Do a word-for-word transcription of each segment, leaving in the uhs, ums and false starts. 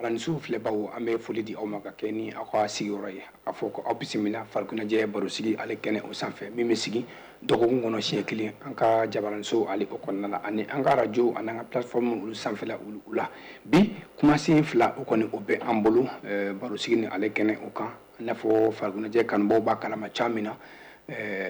Jabaraninso filɛbaw, an bɛ foli di aw ma ka kɛ ni aw ka sigiyɔrɔ ye, a fɔ ko aw bisimila farikoloɲɛnajɛ barosigi ale kɛnɛ o sanfɛ, min bɛ sigi dɔgɔkun kɔnɔ siɲɛ kelen an ka jabaraninso ale o kɔnɔna la, ani an ka arajo ani an ka plateforme olu sanfɛla olu la. Bi kumasen fila o kɔni o bɛ an bolo barosigi ni ale kɛnɛ o kan. I n'a fɔ farikoloɲɛnajɛ kanubaw b'a kalama cogoya min na,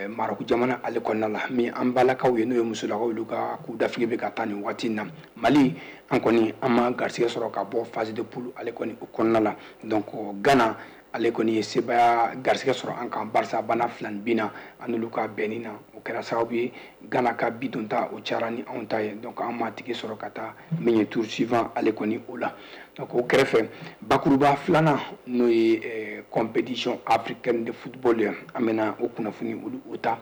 Marɔku jamana ale kɔnɔna la, min an balakaw ye, n'o ye musolakaw, olu ka coupe d'Afrique bɛ ka taa nin waati in na. Mali, an kɔni an ma garisɛgɛ sɔrɔ ka bɔ phase de poule ale kɔni o kɔnɔna la. Donc Ghana ale kɔni ye sebaaya garisɛgɛ sɔrɔ an kan, barisa bana fila ni bin na an n'olu ka bɛnni na, o kɛra sababu ye Ghana ka bi don ta o cayara ni anw ta ye. Donc an ma tigi sɔrɔ ka taa min ye tour suivant ale kɔni o la. Donc o kɛrɛfɛ, bakuruba filanan, n'o ye compétition africaine de football ye, an bɛna o kunnafoni olu o ta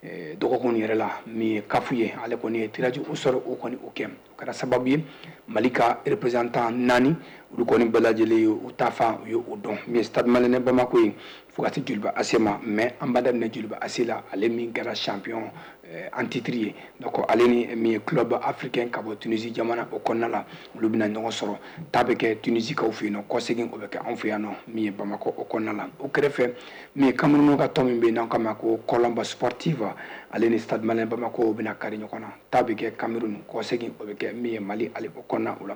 dɔgɔkun yɛrɛ la. Min ye CAF ye, ale kɔni ye tirage au sort o kɔni o kɛ, o kɛra sababu ye Mali ka représentant naani, olu kɔni bɛɛ lajɛlen ye u ta fan u ye o dɔn. Min ye Stade Malien Bamako ye, fo ka se Joliba A C ma. Mais an b'a daminɛ Joliba A C la, ale min kɛra champion en titre ye. Donc ale ni min ye Club Africain ka bɔ Tunisie jamana o kɔnɔna la, olu bɛna ɲɔgɔn sɔrɔ. Ta bɛ kɛ Tunisie kaw fɛ yen nɔ, kɔsegin o bɛ kɛ anw fɛ yan nɔ, min ye Bamakɔ o kɔnɔna la. O kɛrɛfɛ, min ye Cameroun ka tɔn min bɛ yen n'an k'a ma ko Colombe Sportive, ale ni Stade Malien Bamako bɛna kari ɲɔgɔn na. Ta bɛ kɛ Cameroun, kɔsegin o bɛ kɛ min ye Mali ale o kɔnɔna o la.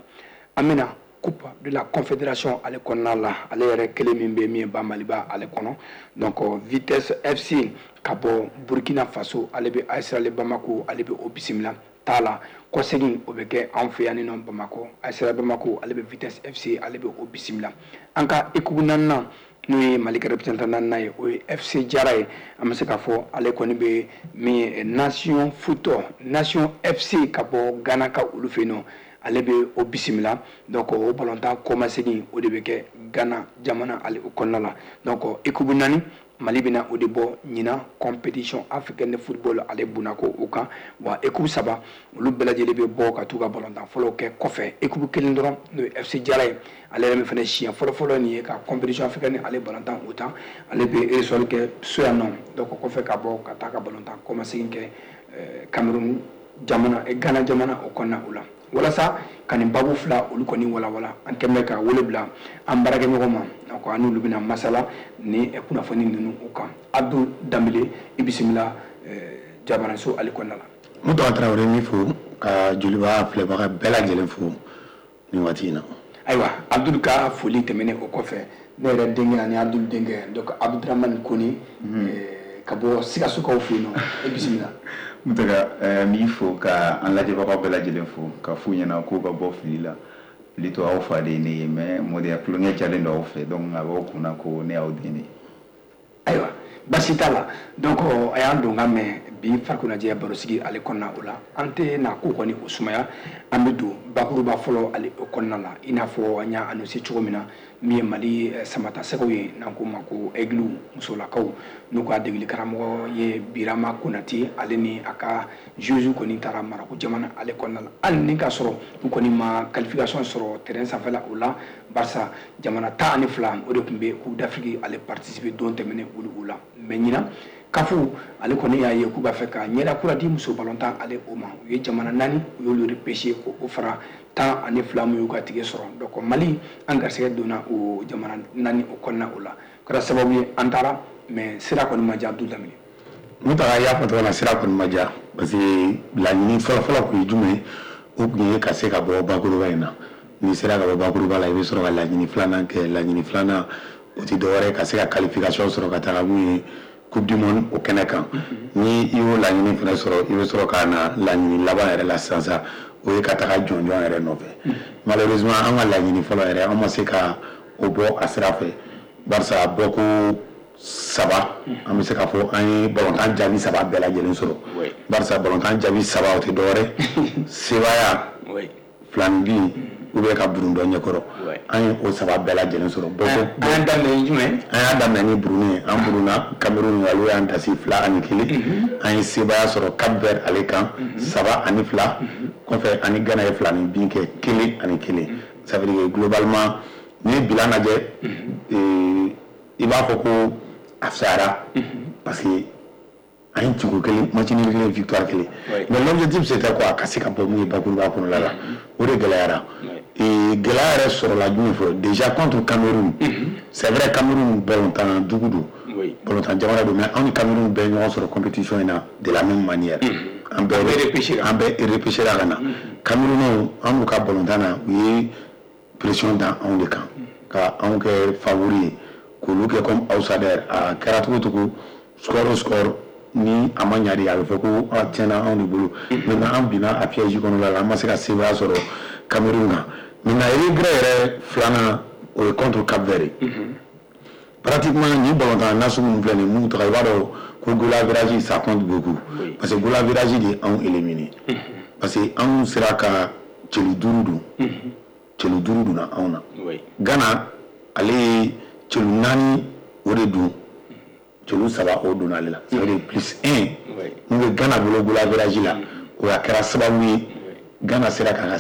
An bɛna Coupe de la Confédération ale kɔnɔna la, ale yɛrɛ kelen min bɛ min ye ba Maliba ale kɔnɔ. Donc Vitesse F C ka bɔ Burkina Faso, ale bɛ A S Real Bamako, ale bɛ o bisimila ta la. Kɔsegin o bɛ kɛ anw fɛ yan nɔ Bamakɔ. A S Real Bamako, ale bɛ Vitesse F C, ale bɛ o bisimila. An ka équipe naaninan, n'o ye Mali ka représentant naaninan ye, o ye F C Jara ye. An bɛ se k'a fɔ ale kɔni bɛ min ye Nation Foot, Nation F C ka bɔ Ghana ka olu fɛ yen nɔ, ale bɛ o bisimila. Donc o balontan kɔmasegin o de bɛ kɛ Ghana jamana ale o kɔnɔna la. Donc équipe naani, Mali bɛna o de bɔ ɲinan compétition africaine de football ale bunako o kan. Wa équipe saba, olu bɛɛ lajɛlen bɛ bɔ ka t'u ka balontan fɔlɔw kɛ kɔfɛ. Équipe kelen dɔrɔn, n'o ye F C Jara ye, ale yɛrɛ min fana siɲɛ fɔlɔ-fɔlɔ nin ye ka compétition africaine ale balontan o tan, ale bɛ ressort kɛ so yan nɔ. Donc kɔfɛ ka bɔ ka taa ka balontan kɔmasegin kɛ Cameroun jamana, Ghana jamana o kɔnɔna o la. Walasa ka nin babu fila olu kɔni walawala, an kɛn bɛ ka wele bila an baarakɛɲɔgɔn ma. Donc an n'olu bɛna masala ni kunnafoni ninnu o kan. Abdou Danbele, i bisimila jabaranso ale kɔnɔna la. Mutaka Tarawele, min fo ka Joliba filɛbaga bɛɛ lajɛlen fo nin waati in na. Ayiwa, Abdul ka foli tɛmɛnen o kɔfɛ, ne yɛrɛ denkɛ ani Abdul denkɛ, donc Abdramane Kone ka bɔ Sikasokaw fɛ yen nɔ, e bisimila. Mutaka, n b'i fo ka an lajɛbagaw bɛɛ lajɛlen fo, ka f'u ɲɛna k'u ka bɔ fili la. Plutôt aw fa de ye ne ye, mais mɔdenya tulonkɛ jalen don aw fɛ, donc a b'aw kunna ko ne y'aw den de ye. Ayiwa, basi t'a la. Donc a y'an don ka mɛn bi farikoloɲɛnajɛ barosigi ale kɔnɔna o la. An tɛ na ko kɔni o sumaya, an bɛ don bakuruba fɔlɔ ale o kɔnɔna la. I n'a fɔ an y'a annoncé cogo min na, min ye Mali samata sɛgɛw ye, n'an k'o ma ko Aigle, musolakaw, n'u ka degeli karamɔgɔ ye Birama Konate, ale ni a ka joueurs kɔni taara Marɔku jamana ale kɔnɔna la, hali ni k'a sɔrɔ u kɔni ma qualification sɔrɔ terrain sanfɛla o la, barisa jamana tan ani fila o de tun bɛ Coupe d'Afrique ale participer don tɛmɛnen olu o la. Mais ɲinan, CAF ale kɔni y'a ye k'u b'a fɛ ka ɲɛda kura di muso balontan ale o ma. U ye jamana naani, u y'olu repêché k'o fara tan ani fila min y'u ka tige sɔrɔ. Donc Mali, an garisɛgɛ donna o jamana naani o kɔnɔna o la. O kɛra sababu ye an taara, mais sira kɔni ma diya, Abdul Danbele. Mutaka, i y'a fɔ cogo min na, sira kɔni ma diya, parce que laɲini fɔlɔ-fɔlɔ tun ye jumɛn ye? O tun ye ka se ka bɔ bakuruba in na. N'i sera ka bɔ bakuruba la, i bɛ sɔrɔ ka laɲini filanan kɛ. Laɲini filanan, o tɛ dɔwɛrɛ ye ka se ka qualification sɔrɔ ka taga mun ye Coupe du monde o kɛnɛ kan. Ni i y'o laɲini fana sɔrɔ, i bɛ sɔrɔ ka na laɲini laban yɛrɛ la sisan sa, o ye ka taga jɔnjɔn yɛrɛ nɔfɛ. Malheureusement, an ka laɲini fɔlɔ yɛrɛ, an ma se ka o bɔ a sira fɛ, barisa bɔko saba, an bɛ se k'a fɔ an ye balontan jaabi saba bɛɛ lajɛlen sɔrɔ, barisa balontan jaabi saba, o tɛ dɔwɛrɛ sebaaya fila ni bin ou bien ka burun dɔ ɲɛkɔrɔ. An ye o saba bɛɛ lajɛlen sɔrɔ. An y'a daminɛ ni jumɛn? An y'a daminɛ ni Burundi ye. An burunna Cameroun, olu y'an dasi fila ani kelen. An ye sebaaya sɔrɔ Cap Vert ale kan saba ani fila. Kɔfɛ, ani Ghana ye fila ni bin kɛ kelen ani kelen. Ça veut dire que globalement, n'i ye bilan lajɛ, i b'a fɔ ko a fisayara, parce que an ye ciko kelen, match nul kelen, victoire kelen. Mais l'objectif, c'était quoi? Ka se ka bɔ mun ye bakuruba kɔnɔla la, o de gɛlɛyara. Gɛlɛya yɛrɛ sɔrɔla jumɛn fɛ? Déjà contre Cameroun, c'est vrai, Cameroun balontan dugu don, balontan jamana don, mais anw ni Cameroun bɛɛ ɲɔgɔn sɔrɔ compétition in na de la même manière. An bɛɛ an bɛɛ repêché ka na. Camerounais, an n'u ka balontan na, u ye pression da anw de kan ka anw kɛ favori ye, k'olu kɛ comme outsider. A kɛra cogo cogo, score o score, ni a ma ɲa de, a bɛ fɔ ko a tiɲɛna anw de bolo. Maintenant an binna a piège kɔnɔna la, an ma se ka sebaaya sɔrɔ Cameroun kan. Maintenant regret yɛrɛ filanan, o ye contre Cap Vert ye. Pratiquement nin balontan nasugu ninnu filɛ nin ye, mun tɔgɔ, i b'a dɔn ko goal average, ça compte beaucoup, parce que goal average de ye anw éliminé, parce que anw sera ka celu duuru don, celu duuru donna anw na. Ghana, ale ye celu naani o de don, celu saba o donna ale la. Ça veut dire plus un mun bɛ Ghana bolo goal average la, o a kɛra sababu ye Ghana sera k'a ka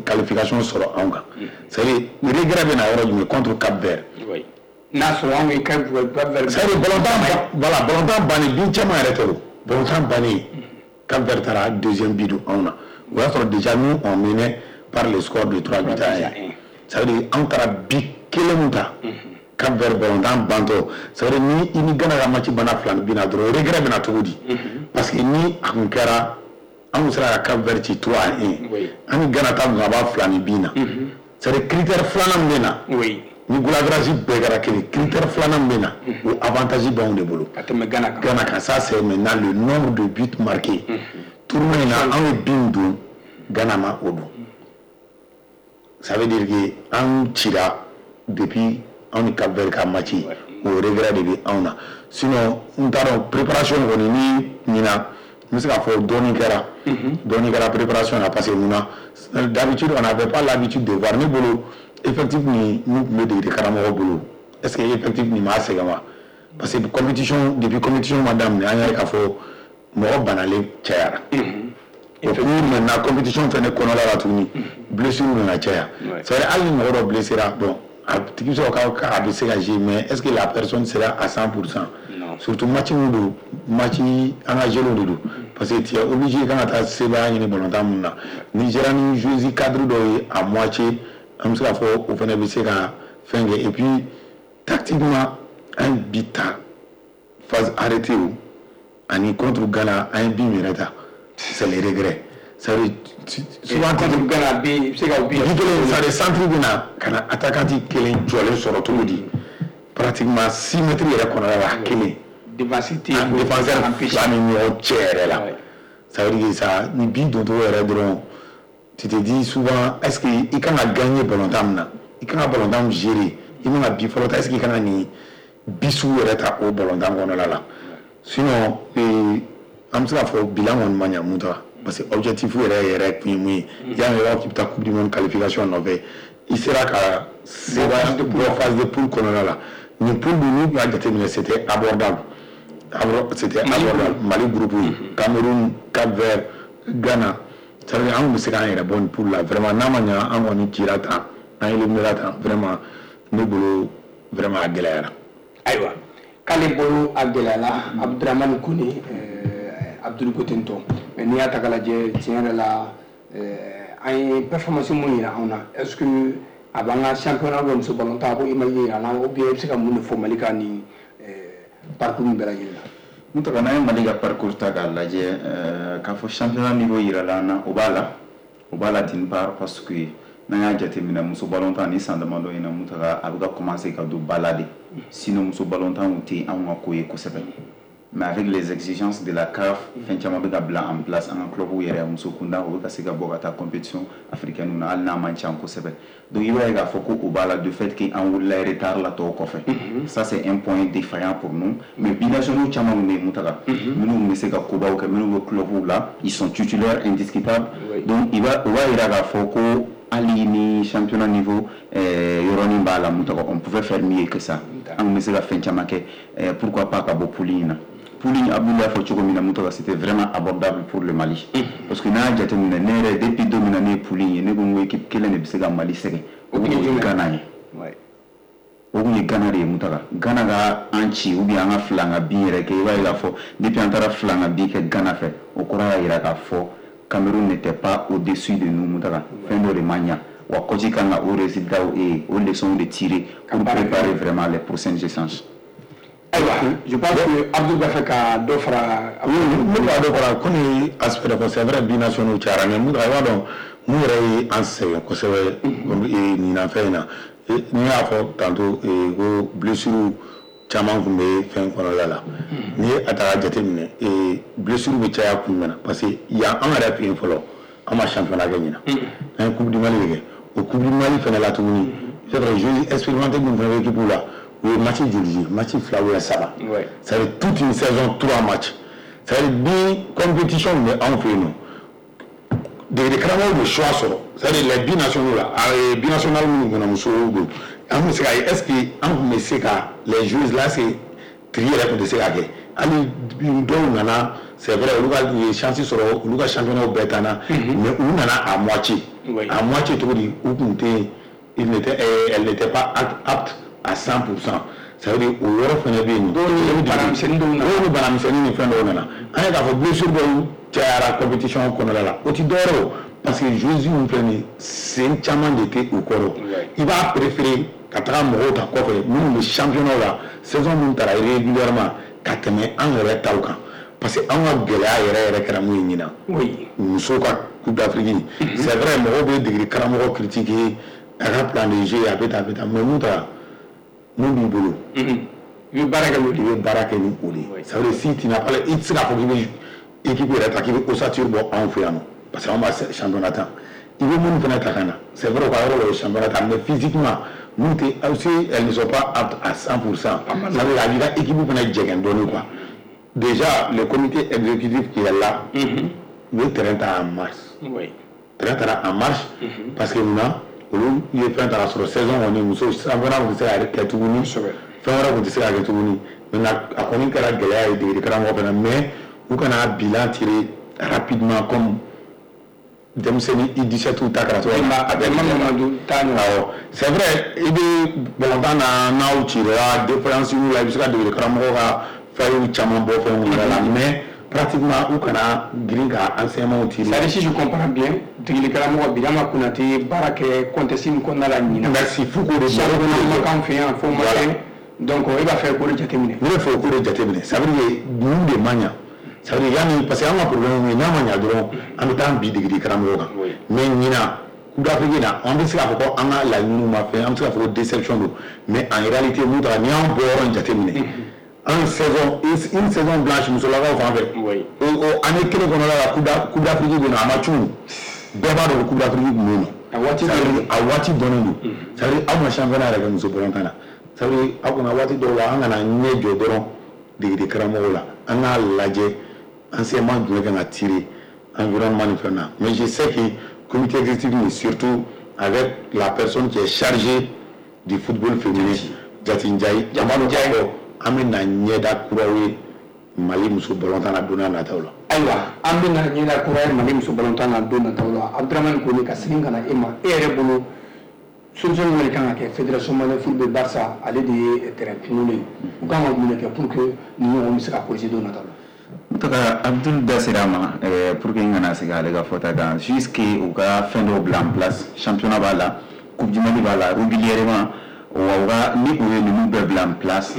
qualification sɔrɔ anw kan. C'est à dire regret bɛ na yɔrɔ jumɛn? Contre Cap Vert. N'a sɔrɔ anw ye Cap Vert. C'est à dire balontan, voilà, balontan bannen, bin caman yɛrɛ tɛ o, balontan bannen, Cap Vert taara deuxième but don anw na. O y'a sɔrɔ déjà nous, on menait par le score de trois buts à un. Ça veut dire anw taara but kelen mun ta Cap Vert balontan bantɔ. Ça veut dire ni i ni Ghana ka match banna fila ni bi na dɔrɔn, regret bɛ na cogo di? Parce que ni a kun kɛra anw sera ka Cap Vert ci trois à un, an ni Ghana ta kun ka b'a fila ni bi na. C'est à dire critère filanan min bɛ na, ni goal average bɛɛ kɛra kelen, critère filanan min bɛ na, o avantage b'anw de bolo ka tɛmɛ Ghana kan. Ghana kan, ça c'est maintenant le nombre de buts marqués. Tournoi in na, anw ye bin don, Ghana ma o don. Ça veut dire que anw cira depuis anw ni Cap Vert ka match, o regret de bɛ anw na. Sinon n t'a dɔn, préparation kɔni ni ɲina, n bɛ se k'a fɔ dɔɔnin kɛra, dɔɔnin kɛra préparation na, parce que mun na, d'habitude on n'avait pas l'habitude de voir. Ne bolo, effectif ni mun tun bɛ degeli karamɔgɔ bolo, est ce que effectif nin m'a sɛgɛn wa? Parce que compétition, depuis compétition ma daminɛ, an y'a ye k'a fɔ mɔgɔ banalen cayara. Et puis maintenant compétition fɛnɛ kɔnɔna la tuguni, blessure nana caya. C'est vrai, hali ni mɔgɔ dɔ blessera, bon, a tigi bɛ sɔrɔ k'a bɛ se ka jouer, mais est ce que la personne sera à cent pour cent? Surtout match min don, match engagé de don, parce que tu es obligé kan ka taa sebaaya ɲini balontan mun na. Ni sera ni joueuse cadre dɔw ye à moitié, an bɛ se k'a fɔ o fana bɛ se ka fɛn kɛ. Et puis tactiquement, an ye bi ta phase arrêtée o ani contre Ghana, an ye bi min yɛrɛ ta, c'est les regrets. C'est à dire souvent contre Ghana bi, i bɛ se ka bi kelen, c'est à dire centre bɛ na ka na attaquant kelen jɔlen sɔrɔ cogo di, pratiquement six mètres yɛrɛ kɔnɔna la, kelen défense tɛ yen, défenseur fila ni ɲɔgɔn cɛ yɛrɛ la. Ça veut dire que ça, ni bi doncogo yɛrɛ dɔrɔn, tu te dis souvent, est-ce que i kan ka gagner balontan min na, i kan ka balontan min gérer, i man ka bi fɔlɔ ta, est-ce que i kan ka nin bi sugu yɛrɛ ta o balontan kɔnɔna la? Sinon an bɛ se k'a fɔ bilan kɔni ma ɲa mun ta, parce que objectif yɛrɛ yɛrɛ kun ye mun ye? I y'a mɛn, i b'a fɔ k'i bɛ taa Coupe du monde qualification nɔfɛ, i sera ka sebaaya bɔ phase de poule kɔnɔna la. Nin poule dun, n'u y'a jateminɛ, c'était abordable, c'était abordable. Mali groupe ye Cameroun, Cap Vert, Ghana. Ça veut dire an kun bɛ se k'an yɛrɛ bɔ nin poule la vraiment. N'a ma ɲa an kɔni cira tan, an éliminera tan, vraiment ne bolo, vraiment a gɛlɛyara. Ayiwa, k'ale bolo a gɛlɛyara. Abudramani Kone, Abdul Kotentɔ, mais n'i y'a ta k'a lajɛ, tiɲɛ yɛrɛ la, an ye performance mun yira anw na, est ce que a b'an ka championnat bɛ muso balontan, a b'o image yira an na, ou bien i bɛ se ka mun de fɔ Mali ka nin parcours min bɛɛ lajɛlen na? N tɔgɔ, n'an ye Mali ka parcours ta k'a lajɛ, k'a fɔ championnat niveau yirala an na, o b'a la, o b'a la d'une part, parce que n'an y'a jateminɛ, muso balontan ni san damadɔ in na, mun taga a bɛ ka commencer ka don ba la de. Sinon muso balontan tun tɛ anw ka ko ye kosɛbɛ, mais avec les exigences de la CAF, fɛn caman bɛ ka bila en place. An ka club yɛrɛ, muso kunda, o bɛ ka se ka bɔ ka taa compétition africaine na, hali n'a man ca kosɛbɛ. Donc i b'a ye k'a fɔ ko o b'a la, de fait que an wulila retard la tɔw kɔfɛ, ça c'est un point défaillant pour nous. Mais binationaux caman bɛ yen, mun taga minnu bɛ se ka kobaw kɛ, minnu bɛ club la, ils sont titulaires indiscutables. Donc i b'a o b'a yira k'a fɔ ko hali ni championnat niveau yɔrɔnin b'a la, mun tɔgɔ, on pouvait faire mieux que ça. An kun bɛ se ka fɛn caman kɛ, pourquoi pas ka bɔ poule in na. Poule in, Abdoulaye y'a fɔ cogo min na, mun tɔgɔ, c'était vraiment abordable pour le Mali, parce que n'a y'a jateminɛ, ne yɛrɛ, depuis don min na ne ye poule in ye, ne ko n ko équipe kelen de bɛ se ka Mali sɛgɛn, o kun ye Ghana ye, o kun ye Ghana de ye. Mun taga Ghana ka an ci ou bien an ka fila ka bin yɛrɛ kɛ, i b'a ye k'a fɔ depuis an taara fila ka bin kɛ Ghana fɛ, o kɔrɔ y'a jira k'a fɔ Cameroun n'était pas au-dessus de nous. Mun taga fɛn dɔ de ma ɲa. Wa coach kan ka o résultat et o leçons de tirer pour préparer vraiment les prochaines échanges. Ayiwa, je pense que Abdou b'a fɛ ka dɔ fara. Oui, ne b'a dɔ fara ko ni aspect dɔ fɔ. C'est vrai, binationaux cayara, mais mun, a b'a dɔn mun yɛrɛ ye an sɛgɛn kosɛbɛ ɲinan fɛn in na. N'i y'a fɔ tantôt ko blessure caman tun bɛ fɛn kɔnɔla la, n'i ye a ta k'a jateminɛ, blessure bɛ caya kun jumɛn na? Parce que yan an yɛrɛ fɛ yen fɔlɔ, an ma championnat kɛ ɲinan, an ye Coupe du Mali de kɛ. O Coupe du Mali fɛnɛ la tuguni, c'est vrai, joueurs expérimentés minnu fɛnɛ bɛ équipe la, u ye match joli joué? Match fila ou saba. Ça veut dire toute une saison, trois matchs. Ça veut dire ni compétition bɛ anw fɛ yen nɔ, degeli karamɔgɔw bɛ choix sɔrɔ. C'est à dire les binationaux la, binational minnu kɔnɔ musow don, an tun bɛ se ka ye, est ce que an tun bɛ se ka les joueurs là, c'est tri yɛrɛ tun tɛ se ka kɛ. Hali dɔw nana, c'est vrai, olu ka u ye chance sɔrɔ, olu ka championnat bɛɛ taana, mais u nana à moitié. À moitié cogo di? U tun tɛ, il n'était, elle n'était pas apte à cent pour cent. Ça veut dire o yɔrɔ fɛnɛ bɛ yen. Dɔw ni banamisɛnnin dɔw nana. Dɔw ni banamisɛnnin ni fɛn dɔw nana. An ye k'a fɔ blessure dɔw cayara compétition kɔnɔna la, o ti dɔwɛrɛ o, parce que joueurs min filɛ nin ye, sen caman de tɛ u kɔrɔ. I b'a préférer ka taga mɔgɔw ta kɔfɛ minnu bɛ championnat la, saison minnu taara régulièrement, ka tɛmɛ an yɛrɛ taw kan. Parce que an ka gɛlɛya yɛrɛ yɛrɛ kɛra mun ye ɲinan? Musow ka Coupe d'Afrique. C'est vrai, mɔgɔw bɛ degeli karamɔgɔ critiquer a ka plan de jeu, a bɛ tan, a bɛ tan, mais mun taara, mun b'i bolo? I bɛ baara kɛ n'o de ye. I bɛ baara kɛ ni o de ye. Ça veut dire si tu n'as pas, i tɛ se k'a fɔ k'i bɛ équipe yɛrɛ ta k'i bɛ ossature bɔ anw fɛ yan nɔ, parce que anw b'a championnat tan. I bɛ minnu fana ta ka na, c'est vrai, u ka yɔrɔ dɔ ye championnat ta, mais physiquement n'u tɛ aussi, elles ne sont pas aptes à cent pour cent. Ça veut dire a b'i ka équipe fana jɛgɛn dɔɔnin quoi. Déjà le comité exécutif qui est là, u ye terrain ta en mars. Terrain taara en mars parce que munna? Olu ye fɛn ta ka sɔrɔ saison kɔni, muso championnat tun tɛ se ka kɛ tuguni, fɛn wɛrɛ tun tɛ se ka kɛ tuguni. Maintenant a kɔni kɛra gɛlɛya ye degeli karamɔgɔ fana, mais u kana bilan tirer rapidement comme denmisɛnnin U dix-sept ta kɛra cogo min na. A bɛ Mamadu ta ɲɔgɔn. Awɔ, c'est vrai, i bɛ balontan na, n'aw cira défaillance la, i bɛ se ka degeli karamɔgɔ ka fɛnw caman bɔ fɛnw yɛrɛ la, mais pratiquement u kana girin ka enseignement tirer. C'est à dire, si je comprends bien, degeli karamɔgɔ Birama Konate baara kɛ contexte min kɔnɔna la ɲinan. Merci, f'u k'o de championnat ma k'an fɛ yan fo ma kɛ, donc e b'a fɛ k'o de jateminɛ. Ne bɛ fɛ k'o de jateminɛ. Ça veut dire mun de man ɲa? Ça veut dire yanni, parce que an ka problème ye, n'a ma ɲa dɔrɔn, an bɛ taa an bi degeli karamɔgɔ kan. Mais ɲinan Coupe d'Afrique na, an bɛ se k'a fɔ ko an ka laɲiniw ma fɛn, an bɛ se k'a fɔ ko déception don, mais en réalité mun taara, n'i y'an bɔ yɔrɔ in jateminɛ, une saison une saison blanche musolakaw fan fɛ, o o année kelen kɔnɔna la, Coupe d'Afrique bɛ yen nɔ, a ma cun, bɛɛ b'a dɔn ko Coupe d'Afrique tun bɛ yen nɔ. A waati a waati dɔnnen don. Ça veut dire aw ma championnat yɛrɛ kɛ muso balontan na. Ça veut dire aw kana waati dɔw la, an kana ɲɛ jɔ dɔrɔn degeli karamɔgɔw la, an k'a lajɛ enseignement jumɛn kan ka tirer environnement ni fɛn na. Mais je sais que comité exécutif, surtout avec la personne qui est chargée du football féminin, Jati Ndiaye, an b'a dɔn k'a fɔ an bɛ na ɲɛda kuraw ye Mali muso balontan na don n'a nataw la. Ayiwa, an bɛ na ɲɛda kura ye Mali muso balontan na don nataw la. Abdramane Kone, ka segin ka na e ma, e yɛrɛ bolo, solution jumɛn de kan ka kɛ fédération malienne football Barça, ale de ye terrain kunkolo ye, u kan ka mun de kɛ pour que nin ɲɔgɔn bɛ se ka corriger don nataw la? En tout cas, Abdul da sera a ma pour que n kana segin ale ka fɔta kan, jusque u ka fɛn dɔw bila en place. Championnat b'a la, Coupe du Mali b'a la régulièrement. Wa u ka, ni u ye ninnu bɛɛ bila en place,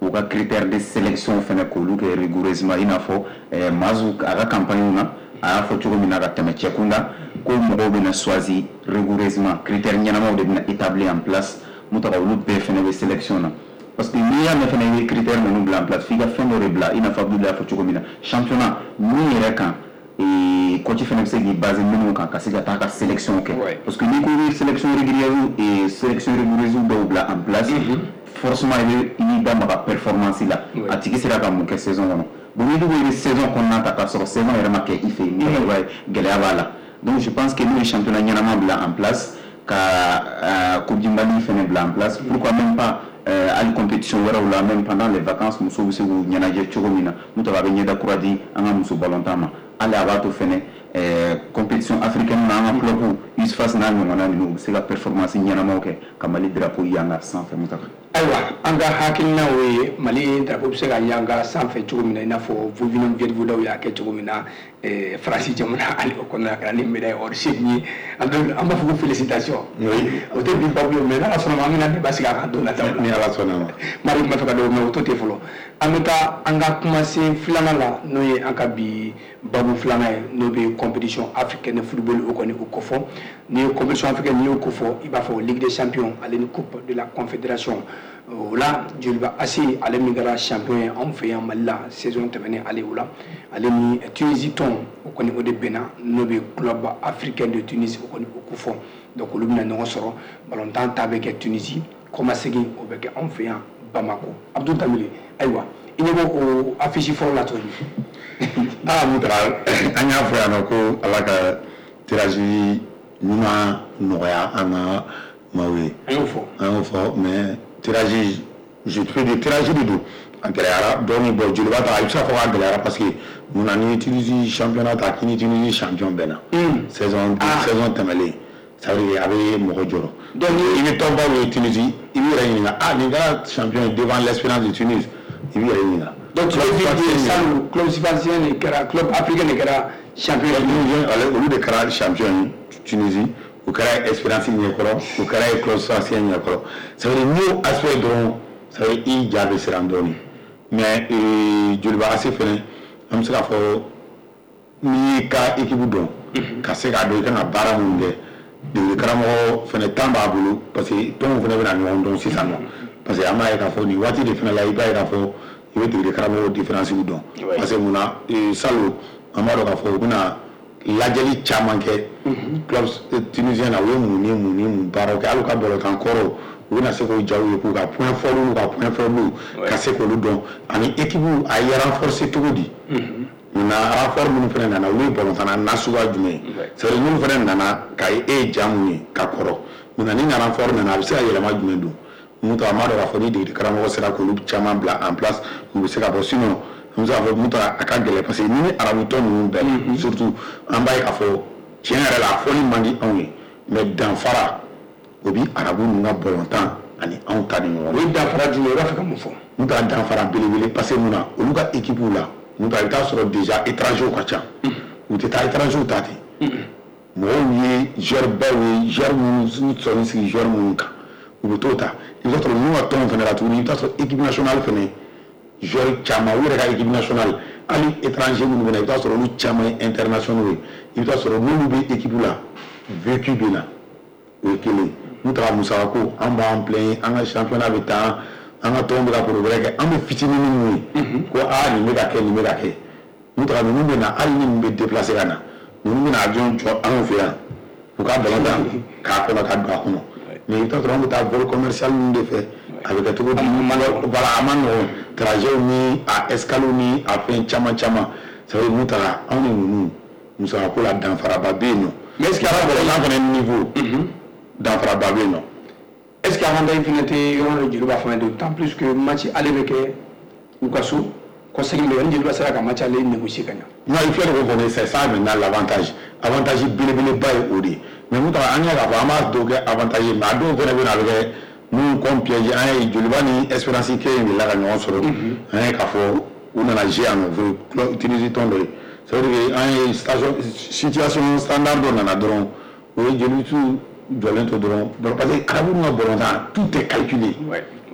u ka critère de sélection fɛnɛ k'olu kɛ rigoureusement, i n'a fɔ Mazu a ka campagne na a y'a fɔ cogo min na ka tɛmɛ cɛ kunda ko mɔgɔw bɛna choisi rigoureusement, critère ɲɛnamaw de bɛna établi en place. Mun taga olu bɛɛ fɛnɛ bɛ sélection na, parce que n'i y'a mɛn fɛnɛ i bɛ critère ninnu bila en place, f'i ka fɛn dɔ de bila, i n'a fɔ Abdul y'a fɔ cogo min na, championnat min yɛrɛ kan, coach fɛnɛ bɛ se k'i baser minnu kan ka se ka taa ka sélection kɛ. Parce que n'i ko i bɛ sélection régulière et sélection rigoureuse dɔw bila en place, forcément i bɛ i b'i da maga performance la, a tigi sera ka mun kɛ saison kɔnɔ. Bon, n'i dun ko i bɛ saison kɔnɔna ta k'a sɔrɔ saison yɛrɛ ma kɛ i fɛ yen, i b'a ye gɛlɛya b'a la. Donc je pense que n'u ye championnat ɲɛnama bila en place, ka Coupe du Mali fɛnɛ bila en place, pourquoi même pas hali compétition wɛrɛw la, même pendant les vacances, musow bɛ se k'u ɲɛnajɛ cogo min na, n'o tɛ a bɛ ɲɛda kura di an ka muso balontan ma. Hali a b'a to fɛnɛ Compétition africaine na, an ka club U S F A S n'a ɲɔgɔnna ninnu, u bɛ se ka performance ɲɛnamaw kɛ ka Mali drapeau yanga sanfɛ, Mutaka. Ayiwa, an ka hakilina o ye Mali drapeau bɛ se ka yanga sanfɛ cogo min na, i n'a fɔ Vovinam Viet Vo Dao y'a kɛ cogo min na Faransi jamana ale o kɔnɔna ka na ni médaille or seegin ye. An b'a fɔ ko félicitation. O tɛ bi babu ye, mais n'Ala sɔnna ma, an bɛna débat sigi a kan don nataw la. Ni Ala sɔnna ma. Mari tun b'a fɛ ka dɔw mɛ, o to ten fɔlɔ. An bɛ taa an ka kumasen filanan la, n'o ye an ka bi babu filanan ye, n'o bɛ compétition africaine de football o kɔni o kofɔ. N'i ye compétition africaine, n'i y'o kofɔ, i b'a fɔ Ligue des champions ale ni Coupe de la Confédération. O la, Joliba A C, ale min kɛra champion ye anw fɛ yan Mali la saison tɛmɛnen, ale o la, ale ni Tunisie tɔn o kɔni o de bɛnna, n'o bɛ Club Africain de Tunis o kɔni o kofɔ. Donc olu bɛna ɲɔgɔn sɔrɔ, balontan ta bɛ kɛ Tunisie, kɔmasegin o bɛ kɛ anw fɛ yan Bamako. Abdou Dembele, ayiwa, i ɲɛ bɛ o affiche fɔlɔ la cogo di? Aa Mutara, an y'a fɔ yan nɔ ko Ala ka tirage ɲuman nɔgɔya an ka maaw ye. An y'o fɔ. An y'o fɔ, mais tirage, je peux dire tirage de don, a gɛlɛyara dɔɔni. Bon, Joliba ta, i bɛ se k'a fɔ k'a gɛlɛyara parce que munna? Ni Tunisie championnat ta, k'i ni Tunisie champion bɛnna saison saison tɛmɛlen, ça veut dire a bɛ mɔgɔ jɔrɔ. Donc i bɛ tɔnbaw ye Tunisie, i b'i yɛrɛ ɲininka: ah, nin kɛra champion ye devant l'Espérance de Tunis, i b'i yɛrɛ ɲininka. Donc tu veux dire que salon Club Sfaxien de kɛra, Club Africain de kɛra champion ye? Olu de kɛra champion ye Tunisie, o kɛra Espérance ɲɛkɔrɔ, o kɛra Club Sfaxien ɲɛkɔrɔ. Ça veut dire n'i y'o aspect dɔrɔn, ça veut dire i ja bɛ siran dɔɔni. Mais Joliba A C fɛnɛ, an bɛ se k'a fɔ n'i y'i ka équipe dɔn, ka se k'a dɔn i kan ka baara mun kɛ, degeli karamɔgɔ fɛnɛ temps b'a bolo, parce que tɔnw fɛnɛ bɛna ɲɔgɔn dɔn sisan nɔ. Parce que an b'a ye k'a fɔ nin waati de fɛnɛ la, i b'a ye k'a fɔ i bɛ degeli karamɔgɔ différence dɔn. Parce que munna? Salon an b'a dɔn k'a fɔ u bɛna lajɛli caman kɛ club tunisien na, u ye mun ni mun ni mun baaraw kɛ, hali u ka balontan kɔrɔw, u bɛna se k'o jaw ye, k'u ka point fort n'u ka point faible, ka se k'olu dɔn, ani équipe a ye renforcer cogo di. Munna renfort minnu fana nana, olu ye balontanna nasuguya jumɛn ye? C'est à dire minnu fana nana ka e ye ja mun ye ka kɔrɔ, munna ni renfort nana, a bɛ se ka yɛlɛma jumɛn don? Mun to an b'a dɔn k'a fɔ ni degeli karamɔgɔ sera k'olu caman bila en place, u bɛ se ka bɔ. Sinon an bɛ se k'a fɔ mun to a ka gɛlɛn, parce que ni ni arabu tɔn ninnu bɛɛ, surtout an b'a ye k'a fɔ tiɲɛ yɛrɛ la, a fɔli man di anw ye, mais danfara o bi arabu ninnu ka balontan ani anw ta ni ɲɔgɔn cɛ. O ye danfara jumɛn ye? I b'a fɛ ka mun fɔ? Mun ta danfara belebele, parce que mun na? Olu ka équipe la, mun ta, i bɛ taa sɔrɔ déjà étranger ka ca, u tɛ taa étranger ta ten. Mɔgɔw ye joueur baw ye, joueur minnu sɔnni sigi joueur minnu kan, u bɛ t'o ta. I bɛ taa sɔrɔ ninnu ka tɔnw fana la tuguni, i bɛ taa sɔrɔ équipe nationale fana joueur caman, u yɛrɛ ka équipe nationale, hali étranger minnu bɛ na, i bɛ taa sɔrɔ olu caman ye internationaux ye. I bɛ taa sɔrɔ n'olu bɛ équipe la, vécu bɛ na, o ye kelen. N'u taara musakako, an b'an plaindre, an ka championnat bɛ taa, an ka tɔnw bɛ ka progrès kɛ, an bɛ fitinin minnu ye ko aa, nin bɛ ka kɛ, nin bɛ ka kɛ. N'u taara, ninnu bɛ na, hali ni ninnu bɛ déplacer ka na, ninnu bɛna avion jɔ anw fɛ yan, u ka ballon ta k'a kɔnɔ ka don a kɔnɔ. Mais i bɛ taa sɔrɔ an bɛ taa vol commercial ninnu de fɛ, a bɛ kɛ cogo di? Voilà, a ma nɔgɔn, trajet ni a escale ni a fɛn caman caman. Ça veut dire mun taara, anw ni ninnu musakako la, danfaraba bɛ yen nɔ. Mais est ce que ala balontan fana niveau, danfaraba bɛ yen nɔ. Est ce que avantage fana tɛ yɔrɔ dɔ Joliba fana, d'autant plus que match ale bɛ kɛ u ka so, kɔsegin bɛ kɛ, ni Joliba sera ka match ale négocier ka ɲa? Non, il faut que qu'on c'est ça maintenant l'avantage. Avantage belebeleba ye o de ye. Mais mun taara, an y'a k'a fɔ an b'a dɔw kɛ avantage ye, mais a dɔw fana bɛ na, a bɛ kɛ minnu comme piège. An ye Joliba ni Espérance kelen de la ka ɲɔgɔn sɔrɔ, an ye k'a fɔ u nana jouer yan nɔ, Tunisie tɔn dɔ ye. Ça veut dire que an ye station situation standard dɔ nana dɔrɔn, o ye Joliba jɔlen to dɔrɔn, parce que arabu ka balontan, tout est calculé.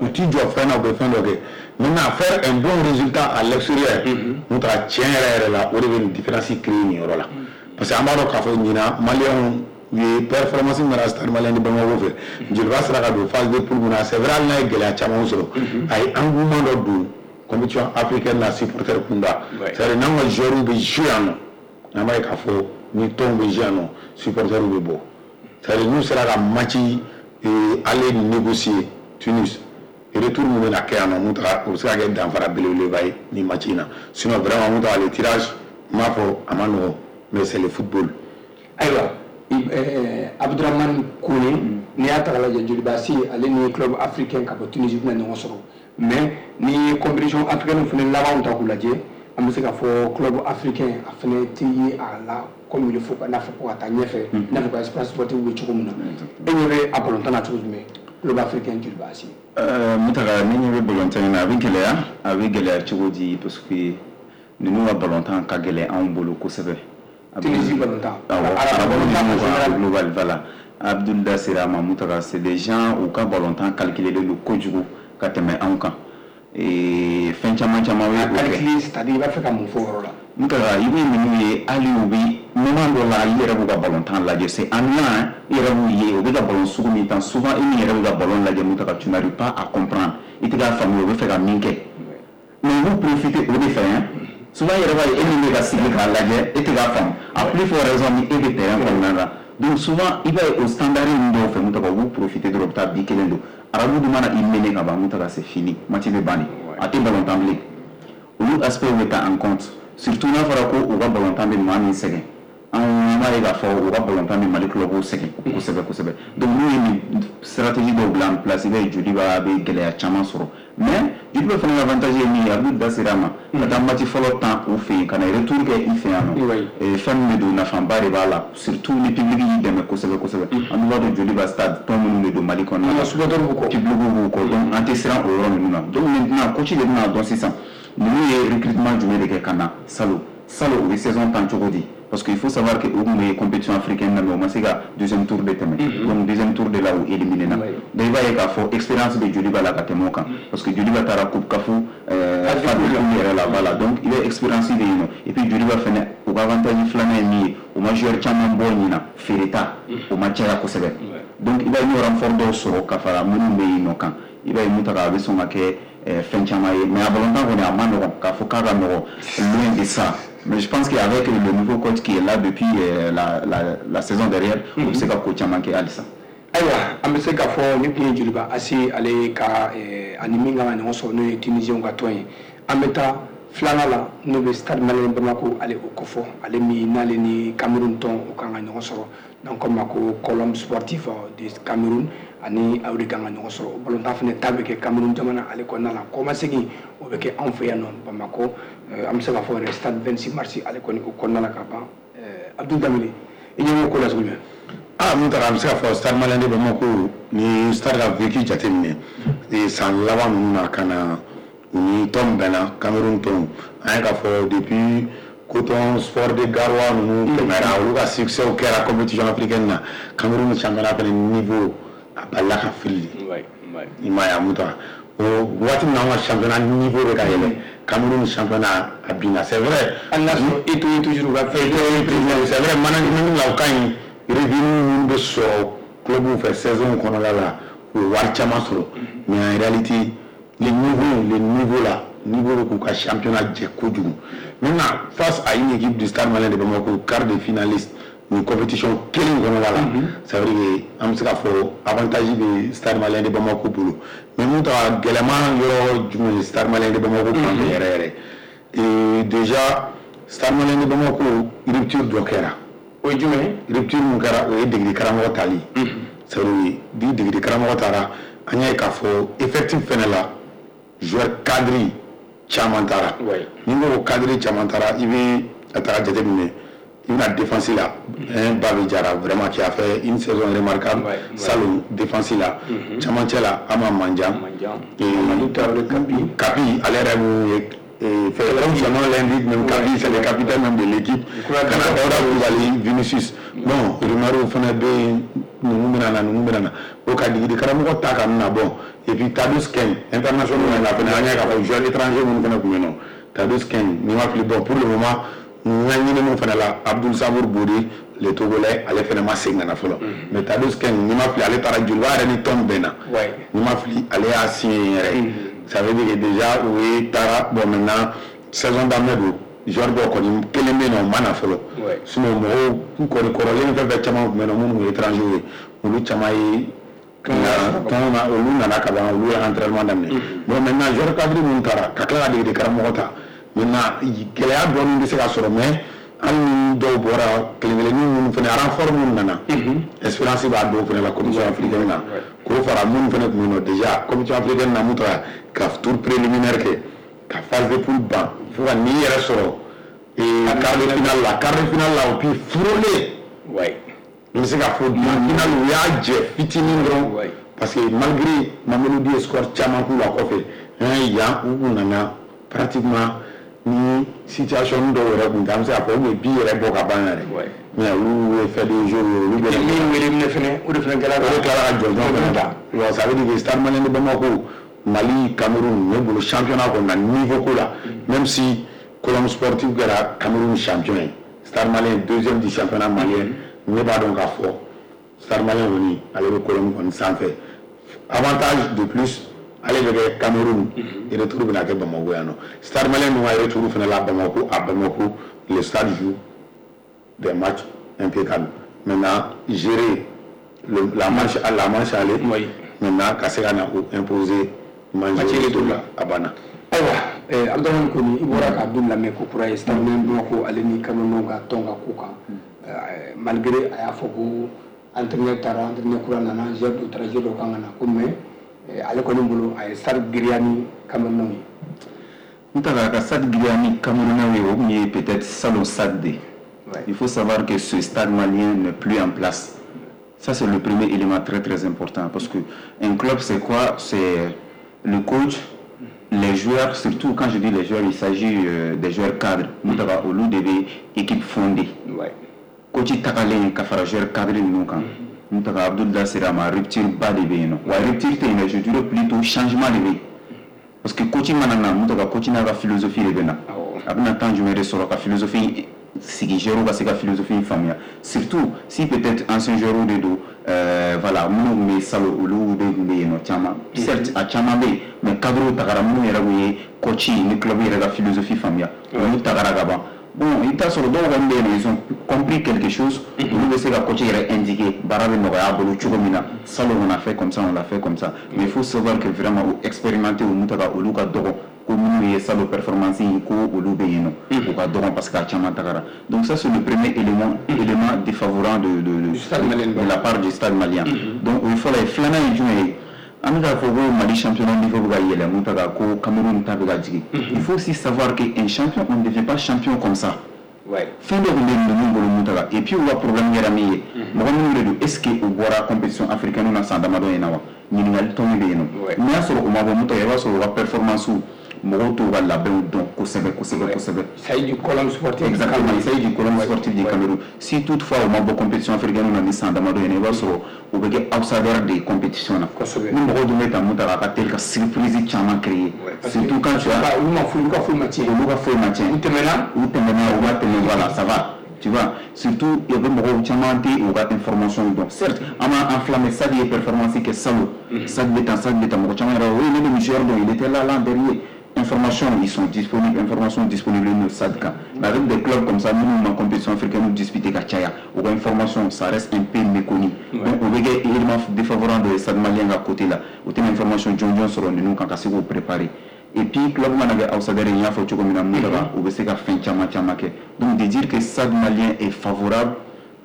U t'i jɔ fɛn na, u bɛ fɛn dɔ kɛ. Maintenant, faire un bon résultat à l'extérieur, n'o taara tiɲɛ yɛrɛ yɛrɛ la, o de bɛ nin différence créer nin yɔrɔ la. Parce que an b'a dɔn k'a fɔ ɲinan maliyɛnw u ye performance min kɛra Stade Malien de Bamako fɛ, Joliba sera ka don phase de poule mun na, c'est vrai, hali n'a ye gɛlɛya caman sɔrɔ, a ye engouement dɔ don compétition africaine na supporter kunda. C'est à dire n'an ka joueurs bɛ jouer yan nɔ, an b'a ye k'a fɔ ni tɔnw bɛ jouer yan nɔ, supporters bɛ bɔ. C'est à dire n'u sera ka match aller négocier Tunis, retour mun bɛna kɛ yan nɔ, mun taga, o bɛ se ka kɛ danfara belebeleba ye nin match in na. Sinon vraiment, mun taga, le tirage, n b'a fɔ a ma nɔgɔn, mais c'est le football. Ayiwa, Abdramane Kone, n'i y'a ta k'a lajɛ, Joliba A C ale ni Club Africain ka bɔ Tunisie bɛna ɲɔgɔn sɔrɔ, mais ni ye compétition africaine fana labanw ta k'u lajɛ, An bɛ se k'a fɔ club africain a fana tɛ ye a la comme il faut, n'a fɔ ko ka taa ɲɛfɛ, n'a fɔ ko Espérance Sportive bɛ cogo min na. E ɲɛ bɛ a balontan na cogo jumɛn, club africain Joliba A C? Mutaga, ne ɲɛ bɛ balontan in na, a bɛ gɛlɛya. A bɛ gɛlɛya cogo di? Parce que ninnu ka balontan ka gɛlɛn anw bolo kosɛbɛ. Tunisie balontan. Awɔ, arabu global, voilà. Abdul da sera a ma. Mutaga, c'est des gens u ka balontan calculé don kojugu ka tɛmɛ anw kan. Fɛn caman caman bɛ o kɛ. Calculé, c'est-à-dire i b'a fɛ ka mun fɔ o yɔrɔ la? Mutaga, i bɛ ninnu ye, hali u bɛ moment dɔ la, i yɛrɛ b'u ka balontan lajɛ, c'est ennuyant. I yɛrɛ b'u ye, u bɛ ka ballon sugu min tan, souvent e min yɛrɛ bɛ ka ballon lajɛ, Mutaga, tu n'arrives pas à comprendre, i tɛ k'a faamuya u bɛ fɛ ka min kɛ. Mais u b'u profiter o de fɛ hein. Souvent i yɛrɛ b'a ye, e min bɛ ka sigi k'a lajɛ, e tɛ k'a faamu, à plus forte raison ni e bɛ terrain kɔnɔna la. Donc souvent i b'a ye o standard ninnu dɔw fɛ, Mutaga, u b'u profiter dɔrɔn, u bɛ taa bi kelen don. Arabu dun mana i mener ka ban, Mutaga, c'est fini, match bɛ ban de, a tɛ ballon tan bilen. Olu aspect bɛ ta en compte, surtout n'a fɔra ko u ka ballon tan bɛ maa min sɛgɛn. Anw b'a ye k'a fɔ u ka ballon tan bɛ Mali club sɛgɛn kosɛbɛ kosɛbɛ. Donc n'u ye nin stratégie dɔw bila en place, i b'a ye Joliba bɛ gɛlɛya caman sɔrɔ. Mais Joliba fana ka avantage ye min ye, Abdul da sera a ma, ka taa match fɔlɔ tan u fɛ yen, ka na retour kɛ i fɛ yan nɔ, fɛn min bɛ don, nafaba de b'a la, surtout ni public y'i dɛmɛ kosɛbɛ kosɛbɛ. An dun b'a dɔn Joliba stade, tɔn minnu de don Mali kɔnɔna la, supporters b'u kɔ, public b'u kɔ, donc an tɛ siran o yɔrɔ ninnu na. Donc maintenant coach de bɛna dɔn sisan ninnu ye recrutement jumɛn de kɛ ka na salon salon, u ye saison tan cogo di? Parce qu'il faut savoir que u tun bɛ compétition africaine na, mais u ma se ka deuxième tour de tɛmɛ. Donc deuxième tour de la, u éliminé na. Donc i b'a ye k'a fɔ expérience bɛ Joliba la ka tɛmɛ o kan, parce que Joliba taara coupe CAF phase de poule yɛrɛ la, voilà. Donc i bɛ expérience bɛ yen nɔ. Et puis Joliba fɛnɛ, u ka avantage filanan ye min ye, u ma joueur caman bɔ ɲina, feereta o ma caya kosɛbɛ. Donc i b'a ye n'o renfort dɔw sɔrɔ ka fara minnu bɛ yen nɔ kan, i b'a ye Mutaga, a bɛ sɔn ka kɛ fɛn caman ye. Mais a balontan kɔni, a ma nɔgɔn k'a fɔ k'a ka nɔgɔn, loin de ça. Mais je pense qu'avec le nouveau coach qui est là depuis euh, la, la, la saison dernière, mm -hmm. o bɛ se ka ko caman kɛ halisa. Ayiwa, an bɛ se k'a fɔ ni tun ye Joliba A C ale ka ani min kan ka ɲɔgɔn sɔrɔ, n'o ye Tunisiyɛnw ka tɔn ye. An bɛ taa filanan la, n'o bɛ Stade Malien Bamako ale o kɔfɔ, ale min n'ale ni Cameroun tɔn o kan ka ɲɔgɔn sɔrɔ, n'an ko ma ko Colombe Sportif de Cameroun, ani aw de kan ka ɲɔgɔn sɔrɔ. O balontan fana ta bɛ kɛ Cameroun jamana ale kɔnɔna la, kɔmasegin o bɛ kɛ anw fɛ yan nɔ Bamakɔ, an bɛ se k'a fɔ yɛrɛ stade vingt-six mars ale kɔni o kɔnɔna la ka ban. Abdul Danbele, i ɲɛ b'o ko la cogo jumɛn? Ah, mun taara, an bɛ se k'a fɔ Stade Malien de Bamako ni Stade ka vécu jateminɛ san laban ninnu na, ka na u ni tɔn bɛnna, Cameroun tɔn. An ye k'a fɔ depuis Coton Sport de Garoua ninnu tɛmɛra, olu ka succès kɛra compétition africaine na, Cameroun championnat fɛnɛ niveau a balila ka fili. I m'a ye a mun ta o waati min na, an ka championnat niveau bɛ ka yɛlɛ, Cameroun championnat a binna, c'est vrai. Hali n'a sɔrɔ Eto'o ye toujours ka fɛn. Eto'o, c'est vrai, management la o ka ɲi, revenu minnu bɛ sɔrɔ club fɛ saison kɔnɔna la, u ye wari caman sɔrɔ. Mais en réalité, le niveau le niveau là, niveau bɛ k'u ka championnat jɛ kojugu. Maintenant, face à une équipe du Stade Malien de Bamako, quart de finaliste nin compétition kelen kɔnɔna la, ça veut dire que an bɛ se k'a fɔ avantage bɛ Stade Malien de Bamako bolo. Mais mun ta gɛlɛman yɔrɔ jumɛn ye Stade Malien de Bamako fan fɛ yɛrɛ yɛrɛ? Et déjà Stade Malien de Bamako, rupture dɔ kɛra. O ye jumɛn ye? Rupture mun kɛra, o ye degeli karamɔgɔ tali. C'est à dire ni degeli karamɔgɔ taara, an y'a ye k'a fɔ effectif fɛnɛ la, joueur cadre caman taara. Ni n ko ko cadre caman taara, i bɛ a taga jateminɛ, i bɛna défense la, un Babi Jara vraiment qui a fait une saison remarquable salon défense la, camancɛ la Ama Mandian, Kapi. Kapi ale yɛrɛ mun ye fait comme son nom l'indique même, Kapi, c'est le capitaine même de l'équipe. Kana Dawuda Kulibali, Vinicius, bon, rumeur fana bɛ yen, ninnu bɛna na, ninnu bɛna na, o ka degeli karamɔgɔ ta ka na. Bon, et puis Tadous Kane, international la fana, an y'a k'a fɔ joueur étranger minnu fana tun bɛ yen nɔ, Tadous Kane, ni ma fili, bon, pour le moment n ka ɲininiw fana la, Abdul Samour Bodi le Togolais, ale fana ma segin ka na fɔlɔ. Mais Tadous Kane, ni ma fili, ale taara Joliba yɛrɛ ni tɔn bɛnna, ni ma fili, ale y'a signé yɛrɛ. Ça veut dire que déjà o ye taara. Bon, maintenant saison daminɛ don, joueur dɔw kɔni kelen bɛ yen nɔ, o ma na fɔlɔ. Sinon mɔgɔw kɔni kɔrɔlen fɛn fɛn caman tun bɛ yen nɔ minnu ye étranger ye, olu caman ye tɔn na, olu nana ka ban, olu ye entraînement daminɛ. Bon, maintenant joueur cadre minnu taara, ka tila ka degeli karamɔgɔ ta, maintenant gɛlɛya dɔɔni bɛ se ka sɔrɔ. Mais hali ni dɔw bɔra, kelen kelennin minnu fana, renfort minnu nana, expérience b'a dɔw fana la compétition africaine na, k'o fara minnu fana tun bɛ yen nɔ déjà compétition africaine na, mun taara ka tour préliminaire kɛ, ka phase de poule ban. Fo ka n'i yɛrɛ sɔrɔ quart de finale la, quart de finale la, o puis frôler. Ouais. N bɛ se k'a fɔ finale u y'a jɛ fitinin dɔrɔn, parce que malgré Mamelodi ye score caman k'u la kɔfɛ, yan u kun nana pratiquement ni situation dɔw yɛrɛ kun tɛ, an bɛ se k'a fɔ u bɛ bi yɛrɛ bɔ ka ban yɛrɛ. Mais olu ye fait de jeu ye, olu bɛ min wele minɛ fɛnɛ, o de fɛnɛ kɛra o de tilala ka jɔnjɔn fɛnɛ ta. Bon, ça veut dire que Stade Malien de Bamako, Mali, Cameroun, ne bolo championnat kɔni na niveau ko la, même si Colombe Sportif kɛra Cameroun champion ye, Stade Malien deuxième du championnat malien, ne b'a dɔn k'a fɔ Stade Malien kɔni ale bɛ Colombe kɔni sanfɛ. Avantage de plus, ale bɛ kɛ Cameroun, retour bɛna kɛ Bamako yan nɔ. Stade Malien dun ka retour fɛnɛ la Bamako, à Bamako, le stade joue des matchs impeccables. Maintenant, gérer le, la manche à la manche aller, oui. Maintenant ka se ka na o imposer match retour la, a banna. Ayiwa, Abdramane Kone, i bɔra ka Abdul lamɛn ko kura ye Stade Malien Bamako ale ni Cameroun ka tɔn ka ko kan. Malgré a y'a fɔ ko entraîneur taara, entraîneur kura nana, joueur dɔ taara, joueur dɔ kan ka na ko, mais ale kɔni bolo a ye Stade giriya ni Cameroun ye. N ta ka Stade giriya ni Camerounais ye, o tun ye peut-être salon Stade de. Il faut savoir que ce Stade Malien n'est plus en place. Ça, c'est le premier élément très très important, parce que un club, c'est quoi? C'est le coach, les joueurs, surtout quand je dis les joueurs, il s'agit euh, des joueurs cadres. Mutaba olu de bɛ équipe fondée. Ouais. Coach tagalen ka fara joueur cadre ninnu kan. Mutaka Abdul da sera ma rupture ba de bɛ yen nɔ. Wa rupture tɛ yen dɛ, je dirais plutôt changement de bɛ yen. Parce que coach mana na, Mutaka, coach n'a ka philosophie de bɛ na. A bɛna temps jumɛn de sɔrɔ ka philosophie sigi, joueur ka se ka philosophie in faamuya, surtout si peut-être ancien joueur de don, euh, voilà, minnu tun bɛ salon, olu de tun bɛ yen nɔ caman. Certes, a caman bɛ yen, mais cadre tagara, minnu yɛrɛ tun ye coach ni club yɛrɛ ka philosophie faamuya, olu tagara ka ban. Bon, i bɛ taa sɔrɔ dɔw kɔni bɛ yen nɔ, ils ont compris quelque chose, olu bɛ se ka coach yɛrɛ indiquer baara bɛ nɔgɔya a bolo cogo min na. Salon, on a fait comme ça, on l'a fait comme ça, mais il faut savoir que vraiment o expérimenté, o taga, olu ka dɔgɔ ko minnu ye salon performance in ko olu bɛ yen nɔ, u ka dɔgɔ parce que a caman tagara. Donc ça, c'est le premier élément élément défavorable de de de, de la part du Stade Malien. Donc o ye fɔlɔ ye. Filanan ye jumɛn ye? An bɛ k'a fɔ ko Mali championnat niveau bɛ ka yɛlɛ mun ta ko Cameroun ta bɛ ka jigin. Il faut aussi savoir que un champion, on ne devient pas champion comme ça. Fɛn dɔ tun bɛ ninnu bolo mun ta. Et puis u ka problème kɛra min ye, mɔgɔ minnu de don, est ce que u bɔra compétition africaine na san damadɔ in na wa? Ɲininkali tɔn bɛ yen nɔ. N'i y'a sɔrɔ u ma bɔ mun ta, i b'a sɔrɔ u ka performance, mɔgɔw t'u ka labɛnw dɔn kosɛbɛ kosɛbɛ kosɛbɛ. Il s'agit du Colombe Sportif. Exactement, il s'agit du Colombe Sportif du Cameroun. Si toutefois u ma bɔ compétition africaine na ni san damadɔ in na, i b'a sɔrɔ u bɛ kɛ outsider de compétition na. Kosɛbɛ. Ni mɔgɔw dun bɛ ta mun ta, a ka teli ka surprise caman créer. Surtout quand tu as olu ma foyi, olu ka foyi ma tiɲɛ. Olu ka foyi ma tiɲɛ. U tɛmɛna. U tɛmɛna, u ma tɛmɛ, voilà, ça va. Tu vois, surtout, il y avait mɔgɔw caman tɛ u ka information dɔn. Certes, an b'a enflammé, Stade ye performance kɛ salon. Stade bɛ tan, Stade bɛ tan, mɔgɔ caman yɛrɛ, oui, ne bɛ nin joueur dɔn, il était là l'an dernier. Information, ils sont disponibles, information disponible no Stade kan. Mais avec des clubs comme ça, minnu ma compétition africaine disputé ka caya, u ka information, ça reste un peu méconnu. Donc o bɛ kɛ élément défavorable de Stade Malien ka côté la. U tɛna information jɔnjɔn sɔrɔ ninnu kan ka se k'o préparer. Et puis club mana kɛ outsider ye, n y'a fɔ cogo min na, mun taga, u bɛ se ka fɛn caman caman kɛ. Donc de dire que Stade Malien est favorable,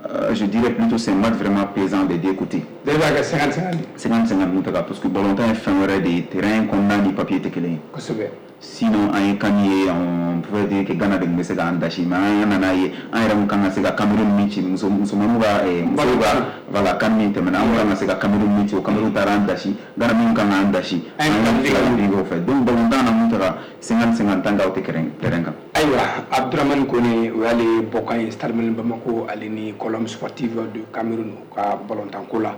euh, je dirais plutôt c'est un match vraiment plaisant des deux côtés. Bɛɛ b'a kɛ cinquante cinquante. cinquante cinquante mun taga, parce que ballontan ye fɛn wɛrɛ de ye, terrain kɔnɔna ni papier tɛ kelen ye. Kosɛbɛ. Sinon an ye kan ye, on pouvait dire que Ghana de tun bɛ se k'an dasi, mais an nana ye an yɛrɛ mun kan ka se ka Cameroun min ci, muso musomaninw ka musow ka, voilà, kan min tɛmɛna, an kan ka se ka Cameroun min ci, o Cameroun taara an dasi. Ghana min kan k'an dasi, an ye fila de o fɛ. Donc ballontan na mun taga, cinquante cinquante tant qu'aw tɛ terrain terrain kan. Ayiwa, Abdramane Kone, o y'ale bɔkan ye Stade Malien Bamako ale ni Colombe Sportive de Cameroun u ka ballontan ko la.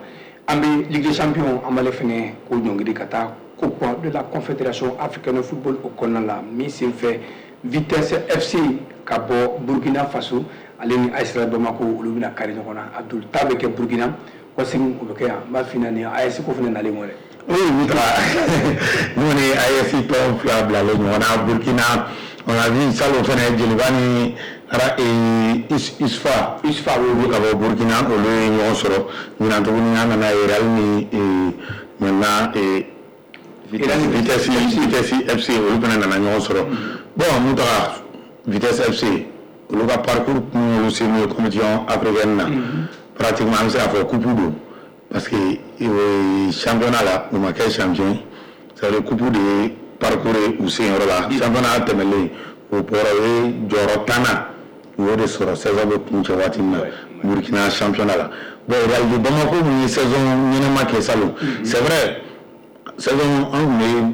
An bɛ Ligue des Champions, an b'ale fɛnɛ ko ɲɔngiri ka taa Coupe de la Confédération africaine de football o kɔnɔna la, min senfɛ Vitesse F C ka bɔ Burkina Faso ale ni A S Bamako, olu bɛna kari ɲɔgɔn na. Abdul, ta bɛ kɛ Burkina, kɔsegin o bɛ kɛ yan. N b'a f'i ɲɛna nin A S ko fɛnɛ nalen kɔ dɛ. Oui, Mitra. Nous, on est A S tɔn fila bilalen ɲɔgɔn na Burkina. On a vu salon fɛnɛ Joliba ni Usfa. Usfa. Olu ka bɔ Burkina, olu ye ɲɔgɔn sɔrɔ. Ɲinan tuguni an nana Real ni maintenant Vitesse Vitesse Vitesse F C, olu fana nana ɲɔgɔn sɔrɔ. Bon, mun taga Vitesse F C, olu ka parcours kun olu sen ye compétition africaine na. Pratiquement an bɛ se k'a fɔ coupe don, parce que championnat la u ma kɛ champion, c'est à dire coupe de ye parcours ye u sen yɔrɔ la. Championnat tɛmɛlen, O bɔra, o ye jɔyɔrɔ tannan, u y'o de sɔrɔ saison bɛ kuncɛ waati min na Burkina championnat la. Bon, Real de Bamako min ye saison ɲɛnama kɛ salon, c'est vrai, saison an tun bɛ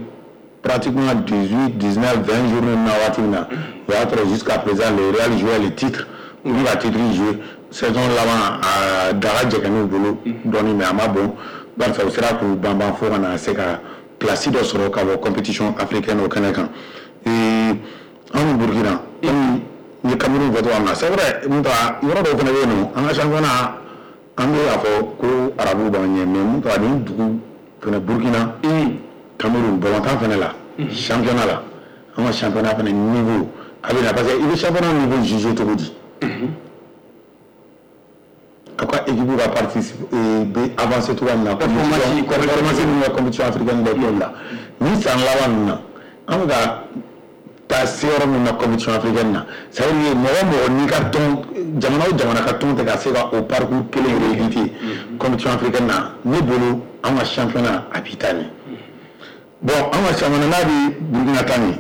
pratiquement dix-huit, dix-neuf, vingt journées na waati min na, o y'a sɔrɔ jusqu'à présent le Real jouait le titre. U bɛ ka titre jouer saison laban, a daga jɛgɛn'u bolo dɔɔni, mais a ma bon, barisa u sera k'u banban fo ka na se ka place dɔ sɔrɔ ka bɔ compétition africaine o kɛnɛ kan. Anw ni Burkina, comme n ye Cameroun fɔ cogoya min na, c'est vrai, mun ta yɔrɔ dɔw fana bɛ yen nɔ, an ka championnat, an bɛ a fɔ ko arabuw b'an ɲɛ, mais mun ta nin dugu fana, Burkina, Cameroun, balontan fana la, championnat la, an ka championnat fana niveau a bɛ na, parce que i bɛ championnat niveau juger cogo di? Aw ka équipe ka participer bɛ avancer cogoya min na, performance min ka compétition africaine des clubs la ni san laban ninnu na, an bɛ ka taa se yɔrɔ min na compétition africaine na, ça veut dire mɔgɔ mɔgɔ n'i ka tɔn, jamana o jamana ka tɔn tɛ ka se ka o parcours kelen rééditer compétition africaine na, ne bolo an ka championnat a b'i taa ɲɛ. Bon, an ka championnat n'a bɛ Burkina ta ɲɛ,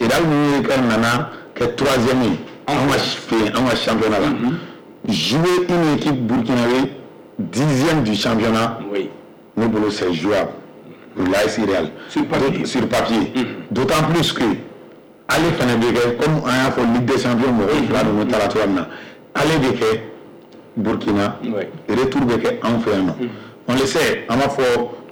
Real min ye ka nana kɛ troisième ye an ka fɛ yen, an ka championnat la, jouer une équipe burkinabé dixième du championnat, oui. ne bolo c'est jouable pour l'A S Real. Sur papier. Sur papier. D'autant plus que ale fana bɛ kɛ comme an y'a fɔ Ligue des champions mɔgɔw fila ninnu taara cogoya min na, ale bɛ kɛ Burkina, retour bɛ kɛ anw fɛ yan nɔ. On le sait, an b'a fɔ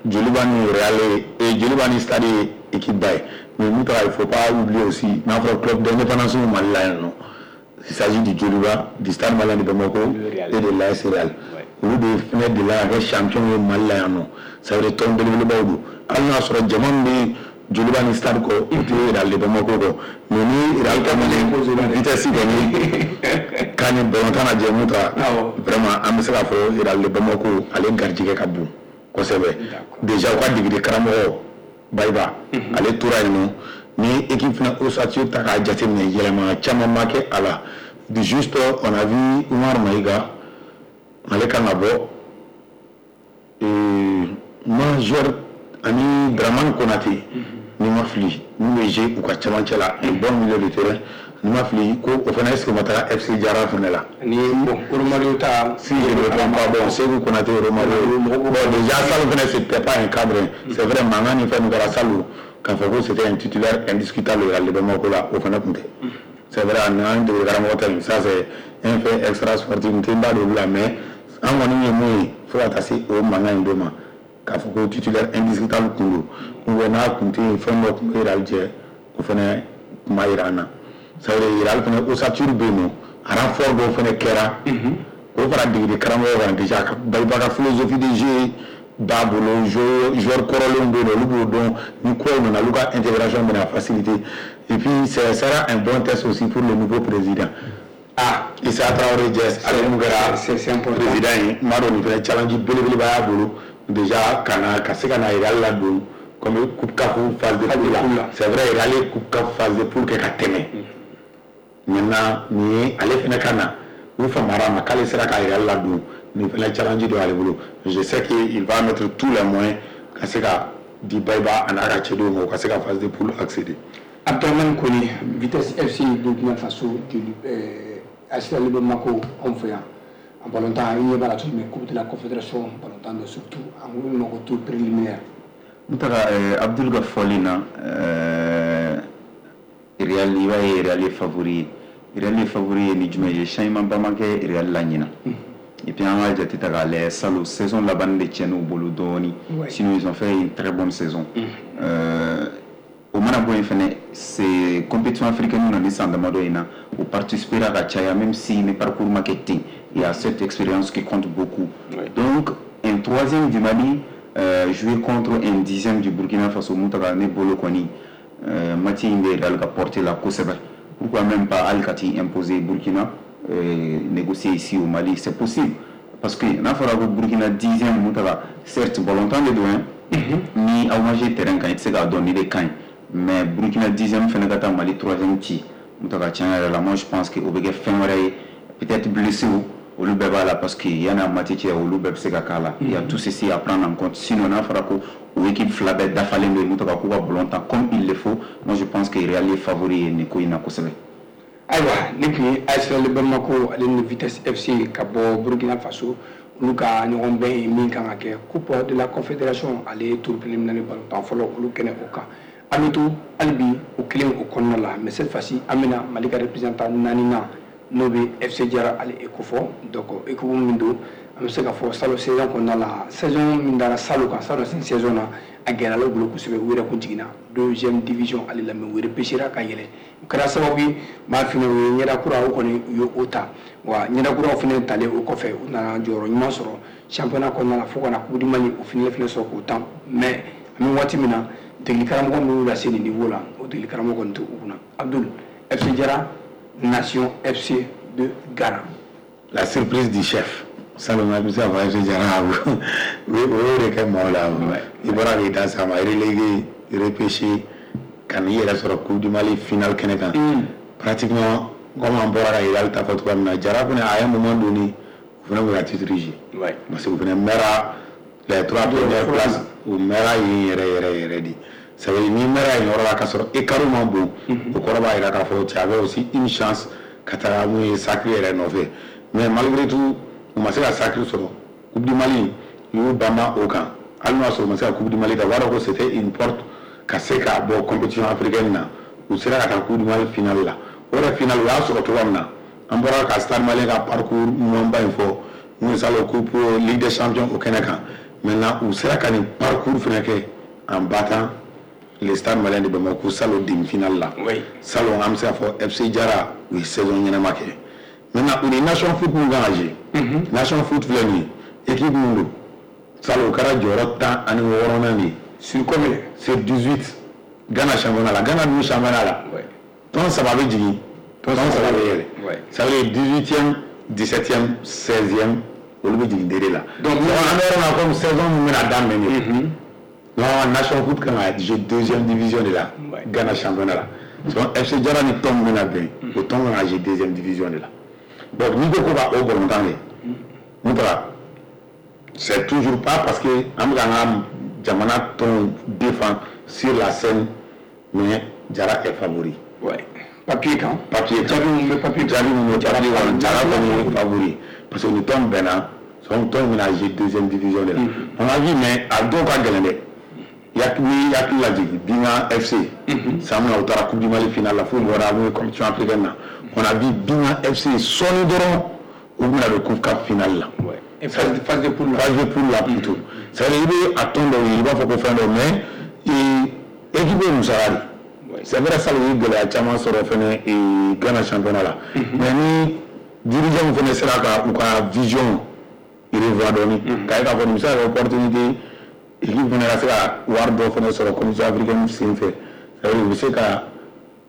Joliba ni Real ye, Joliba ni Stade ye équipe ba ye, mais mun taara, il faut pas oublier aussi n'a fɔra club d'indépendance Mali la yan nɔ, il s'agit du Joliba, du Stade Malien de Bamako et de l'A S Real. Olu de fɛnɛ delila ka kɛ champion ye Mali la yan nɔ. Ça veut dire tɔn belebelebaw don. Hali n'a sɔrɔ jama min bɛ Joliba ni Stade kɔ, o tɛ Real de Bamako kɔ, mais ni Real kɔni vitesse kɔni k'a ni balontan lajɛ, mun ta vraiment an bɛ se k'a fɔ Real de Bamako ale garijɛgɛ ka bon kosɛbɛ. Déjà u ka degeli karamɔgɔ Bayiba, ale tora yen nɔ. Ni équipe fana ossature ta k'a jateminɛ, yɛlɛma caman ma kɛ a la. Juste on a vu Umar Maïga, ale kan ka bɔ, Major ani Dramane Konate, ni ma fili, n'u bɛ jouer u ka cɛmancɛ la, un bon milieu de terrain, ni ma fili ko o fana est ce que o ma taga F C Jara fana la. Ani bon, Romario ta. Si je ne me trompe pas, bon, Sékou Konaté, Romario, bon, déjà Salou fana, c'était pas un cadre, c'est vrai, mankan ni fɛn min kɛra Salou, k'a fɔ ko c'était un titulaire indiscutable Real de Bamako la, o fana tun tɛ. C'est vrai, ani an degeli karamɔgɔ ta in, ça c'est un fait extra sportif, n tɛ n da don olu la, mais an kɔni ye mun ye fo ka taa se o mankan in don ma, k'a fɔ ko titulaire indiscutable kun don ou bien n'a kun tɛ yen, fɛn dɔ tun bɛ Real jɛ, o fana tun b'a yira an na. Ça veut dire Real fana ossature bɛ yen nɔ, renfort dɔw fana kɛra k'o fara degeli karamɔgɔ kan. Déjà Bayiba ka philosophie de jeu b'a bolo, joueur kɔrɔlenw bɛ yen nɔ, olu b'o dɔn, ni kuraw nana, olu ka intégration bɛna faciliter. Et puis ce sera un bon test aussi pour le nouveau président. Ah. Issa Traoré Diès, ale mun kɛra c'est important président ye, n b'a dɔn nin fana challenge belebeleba y'a bolo déjà ka na ka se ka na Real ladon comme coupe CAF phase de poule la. C'est vrai, Real ye coupe CAF phase de poule kɛ ka tɛmɛ. Maintenant nin ye ale fana ka na u famara ma k'ale sera ka Real ladon, nin fana challenge dɔ y'ale bolo. Je sais que il va mettre tous les moyens ka se ka di Bayiba a n'a ka cɛdenw ma, u ka se ka phase de poule accéder. Abdramane Kone, Vitesse F C Burkina Faso, joli euh, A S Real de Bamako anw fɛ yan en balontan, i ɲɛ b'a la cogo min, Coupe de la Confédération balontan don, surtout an ko min ma ko tour préliminaire. N taga Abdul ka fɔli na, Real, i b'a ye Real ye favori ye. Real ye favori ye ni jumɛn ye? Changement ba ma kɛ Real la ɲina. Et puis an ka jate ta k'a lajɛ, salon saison laban de tiɲɛn'u bolo dɔɔni, sinon ils ont fait une très bonne saison. euh, o mana bɔ yen fɛnɛ, c'est compétition africaine na ni san damadɔ in na, o participera ka caya, même si ni parcours ma kɛ ten, il y a cette expérience qui compte beaucoup. Ouais. Donc un troisième du Mali euh, jouer contre un dixième du Burkina Faso, mun taga ne bolo kɔni, euh, match in bɛ Real ka portée la kosɛbɛ. Pourquoi même pas hali ka t'i imposer Burkina, euh, négocier ici au Mali, c'est possible, parce que n'a fɔra ko Burkina dixième, mun taga, certes balontan de don hein, ni aw ma jouer terrain kan, i tɛ se k'a dɔn ni de ka ɲi, mais Burkina dixième fɛnɛ ka taa Mali troisième ci, mun taga, tiɲɛ yɛrɛ la, moi je pense que o bɛ kɛ fɛn wɛrɛ ye. Peut-être blessé olu bɛɛ b'a la, parce que yanni a match cɛ, olu bɛɛ bɛ se ka k'a la. Il y a tout ceci à prendre en compte. Sinon n'a fɔra ko O équipe fila bɛɛ dafalen bɛ Mutaka, k'u ka ballon ta comme il le faut. Moi, je pense que Real ye favori ye nin ko in na kosɛbɛ. Ayiwa, ne tun ye A S Real Bamako ale ni Vitesse F C ka bɔ Burkina Faso, olu ka ɲɔgɔn bɛn ye min kan ka kɛ Coupe de la Confédération ale tour préliminaire balontan fɔlɔ, olu kɛnɛ o kan. An bɛ to hali bi o kelen o kɔnɔna la, mais cette fois-ci an bɛna Mali ka représentant naaninan, n'o bɛ F C Jara ale e kofɔ. Donc équipe min don, an bɛ se k'a fɔ salon saison kɔnɔna la, saison min dara salon kan, salon saison na, a gɛlɛyara u bolo kosɛbɛ. U yɛrɛ kun jiginna deuxième division ale la, mais u repêchera ka yɛlɛ. O kɛra sababu ye maa fina u ye ɲɛda kura, o kɔni u ye o ta wa. Ɲɛda kuraw fana talen o kɔfɛ, u nana jɔyɔrɔ ɲuman sɔrɔ championnat kɔnɔna la fo ka na Coupe du Mali o fana fana sɔrɔ k'o tan. Mais an bɛ waati min na, degeli karamɔgɔ min y'u lase nin niveau la, o degeli karamɔgɔ kɔni tɛ u kunna. Abdul, F C Jara, Nation F C de Ghana. La surprise du chef. Salon bɛ se ka fɔ F C Jara o y'o de kɛ maaw la. I bɔra k'i da s'a ma, relégué, repêché, ka n'i yɛrɛ sɔrɔ Coupe du Mali finale kɛnɛ kan. Pratiquement comme an bɔra ka Hilal ta fɔ cogoya min na, Jara fana, à un moment donné, u fana bɛ ka titre jouer parce que u fana mɛra les trois premières places, u mɛra yen yɛrɛ yɛrɛ yɛrɛ de. Ça veut dire n'i mɛra yen yɔrɔ la k'a sɔrɔ écart man bon, o kɔrɔ b'a jira k'a fɔ tu avais aussi une chance ka taga mun ye sacre yɛrɛ nɔfɛ. Mais malgré tout, u ma se ka sacre sɔrɔ. Coupe du Mali, u y'u banba o kan. Hali n'o y'a sɔrɔ u ma se ka Coupe du Mali ta, u b'a dɔn ko c'était une porte ka se ka bɔ compétition africaine na. U sera ka taa Coupe du Mali finale la. O yɛrɛ finale, u y'a sɔrɔ cogoya min na, an bɔra ka Stade Malien ka parcours ɲumanba in fɔ mun ye salon Coupe Ligue des Champions o kɛnɛ kan. Maintenant, u sera ka nin parcours fana kɛ en battant le Stade Malien de Bamako salon demi-finale la. Salon, an bɛ se k'a fɔ F C Jara, u ye saison ɲɛnama kɛ. Maintenant, u ni Nation Foot mun kan ka jouer, Nation Foot filɛ nin ye, équipe mun don, salon o kɛra jɔyɔrɔ tan ani wɔɔrɔnan de ye. Sur combien? Sur dix-huit Ghana championnat la. Ghana dun championnat la, tɔn saba bɛ jigin, tɔn saba bɛ yɛlɛ. Ça veut dire dix-huitième, dix-septième, seizième, olu bɛ jigin D D la. Donc an bɛ yɔrɔ min na, comme saison min bɛna daminɛ nin ye, non, Nation Foot kan ka jouer deuxième division de la Ghana championnat la. Donc F C Jara ni tɔn min bɛna bɛn, o tɔn kan ka jouer deuxième division de la. Donc n'i ko ko ka o balontan kɛ mun taara, c'est toujours pas parce que an bɛ k'an ka jamana tɔn défend sur la scène, mais Jara est favori. Ouais. Papier kan. Papier kan. Jaabi mun bɛ papier kan. Jaabi mun bɛ papier kan. Jara kɔni ye favori parce que ni tɔn bɛnna, son tɔn bɛna jouer deuxième division de la. On a vu, mais a dɔw ka gɛlɛn dɛ. Ni hakili lajigin Binga F C san min na u taara Coupe du Mali finale la f'u bɔra mun ye compétition africaine na, on a vu Binga F C sɔɔni dɔrɔn u bɛna don Coupe CAF finale la. Et phase, phase de poule la. Phase de poule la plutôt. C'est-à-dire i bɛ a tɔn dɔw ye, i b'a fɔ ko fɛn dɔ, mais équipe ye musaka de. C'est vrai, salon u ye gɛlɛya caman sɔrɔ fɛnɛ Ghana championnat la. Mais ni dirigeant fɛnɛ sera ka u ka vision revoir dɔɔni, k'a ye k'a fɔ nin bɛ se ka kɛ opportunité, équipe fɛnɛ ka se ka wari dɔ fɛnɛ sɔrɔ compétition africaine sen fɛ, c'est-à-dire u bɛ se ka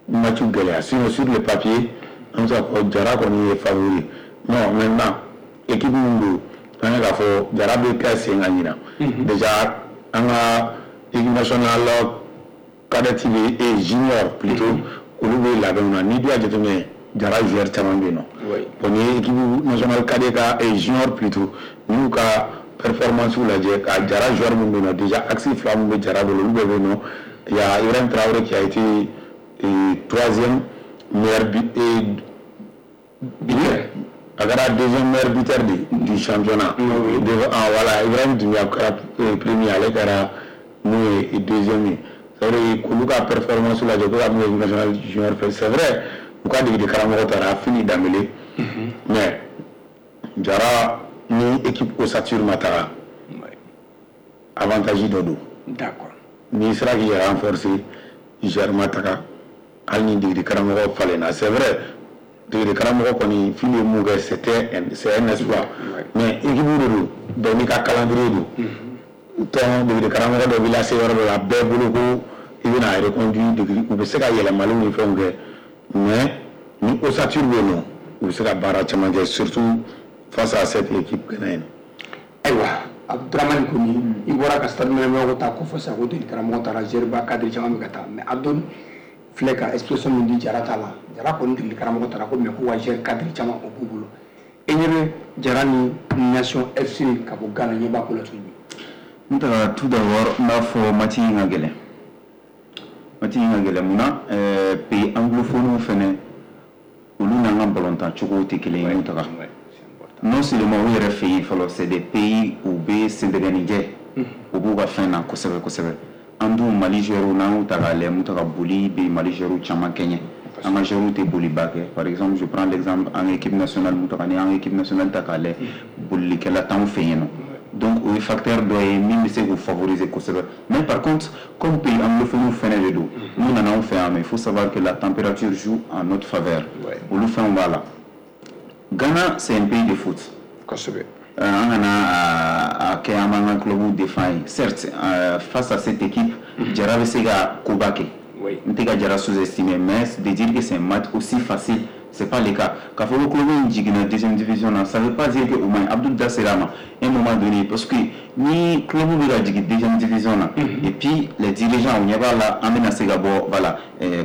match gɛlɛya. Sinon, sur le papier, an bɛ se k'a fɔ Jara kɔni ye favori. Non, maintenant, équipe min don, an ye k'a fɔ Jara bɛ kɛ sen ka ɲina. Déjà an ka équipe nationale cadette bɛ et junior plutôt, olu bɛ labɛnw na. N'i dun y'a jateminɛ, Jara joueur caman bɛ yen nɔ. Bon, n'i ye équipe nationale cadet ka et junior plutôt n'u ka performance lajɛ, ka Jara joueur min bɛ yen nɔ, déjà axe fila min bɛ Jara bolo, olu bɛɛ bɛ yen nɔ. Il y a Ibrahim Traoré qui a été euh, troisième meilleur but et buteur, a kɛra deuxième meilleur buteur de, du championnat. Oui, oui. Devant, ah, voilà, Ibrahim Doumbia kɛra premier, ale kɛra mun ye deuxième ye. C'est vrai k'olu ka performance lajɛ ko ka mun ye national junior fɛ, c'est vrai u ka degeli karamɔgɔ taara Fini Danbele, mais Jara ni équipe ossature ma taga, avantage dɔ don. D'accord. N'i sera k'i yɛrɛ renforcer, joueur ma taga, hali ni degeli karamɔgɔ falenna, c'est vrai degeli karamɔgɔ kɔni Fili ye mun kɛ, c'était un, c'est un exploit, mais équipe de don, bɛɛ n'i ka calendrier don. Tɔn degeli karamɔgɔ dɔ b'i lase yɔrɔ dɔ la, bɛɛ bolo ko i bɛna reconduit degeli, u bɛ se ka yɛlɛmaliw ni fɛnw kɛ, mais ni ossature bɛ yen nɔ, u bɛ se ka baara caman kɛ, surtout face à cette équipe ghanéenne. Ayiwa, Abdramane Koni, i bɔra ka Stade Malien ta ko fɔ sisan ko degeli karamɔgɔ taara, joueur ba cadre caman bɛ ka taa, mais Abdul filɛ ka expression min di Jara ta la, Jara kɔni degeli karamɔgɔ taara ko mais ko wa joueur cadre caman o b'u bolo. E ɲɛ bɛ Jara ni Nation F C ka bɔ Ghana, ɲɛ b'a ko la cogo jumɛn? N taga, tout d'abord, n b'a fɔ match in ka gɛlɛn. Match in ka gɛlɛn munna? Pays anglophone fɛnɛ, olu n'an ka balontan cogow tɛ kelen ye. Taga, non seulement u yɛrɛ fɛ yen fɔlɔ, c'est des pays u bɛ sendɛgɛnijɛ, u b'u ka fɛn na kosɛbɛ kosɛbɛ. An dun Mali joueurs, n'an y'u ta k'a lajɛ, mun taga, boli bɛ Mali joueurs caman kɛɲɛ, an ka joueurs tɛ boliba kɛ. Par exemple, je prends l'exemple an ka équipe nationale, mun taga, ni an ka équipe nationale ta k'a lajɛ, bolilikɛla t'anw fɛ yen nɔ. Donc o ye facteur dɔ ye min bɛ se k'u favoriser kosɛbɛ. Mais par contre, comme pays anglophone fɛnɛ de don, n'u nana anw fɛ yan nɔ, il faut savoir que la température joue en notre faveur. Olu fɛnw b'a la. Ghana, c'est un pays de foot. Kosɛbɛ. An kana a kɛ an b'an ka club défend ye. Certes, face à cette équipe, Jara bɛ se ka koba kɛ. N tɛ ka Jara sous-estimer, mais de dire que c'est un match aussi facile, c'est pas le cas. K'a fɔ ko club in jiginna deuxième division na, ça veut pas dire que o man ɲi. Abdul da sera a ma un moment donné, parce que ni club bɛ ka jigin deuxième division na, et puis les dirigeants, u ɲɛ b'a la an bɛna se ka bɔ, voilà,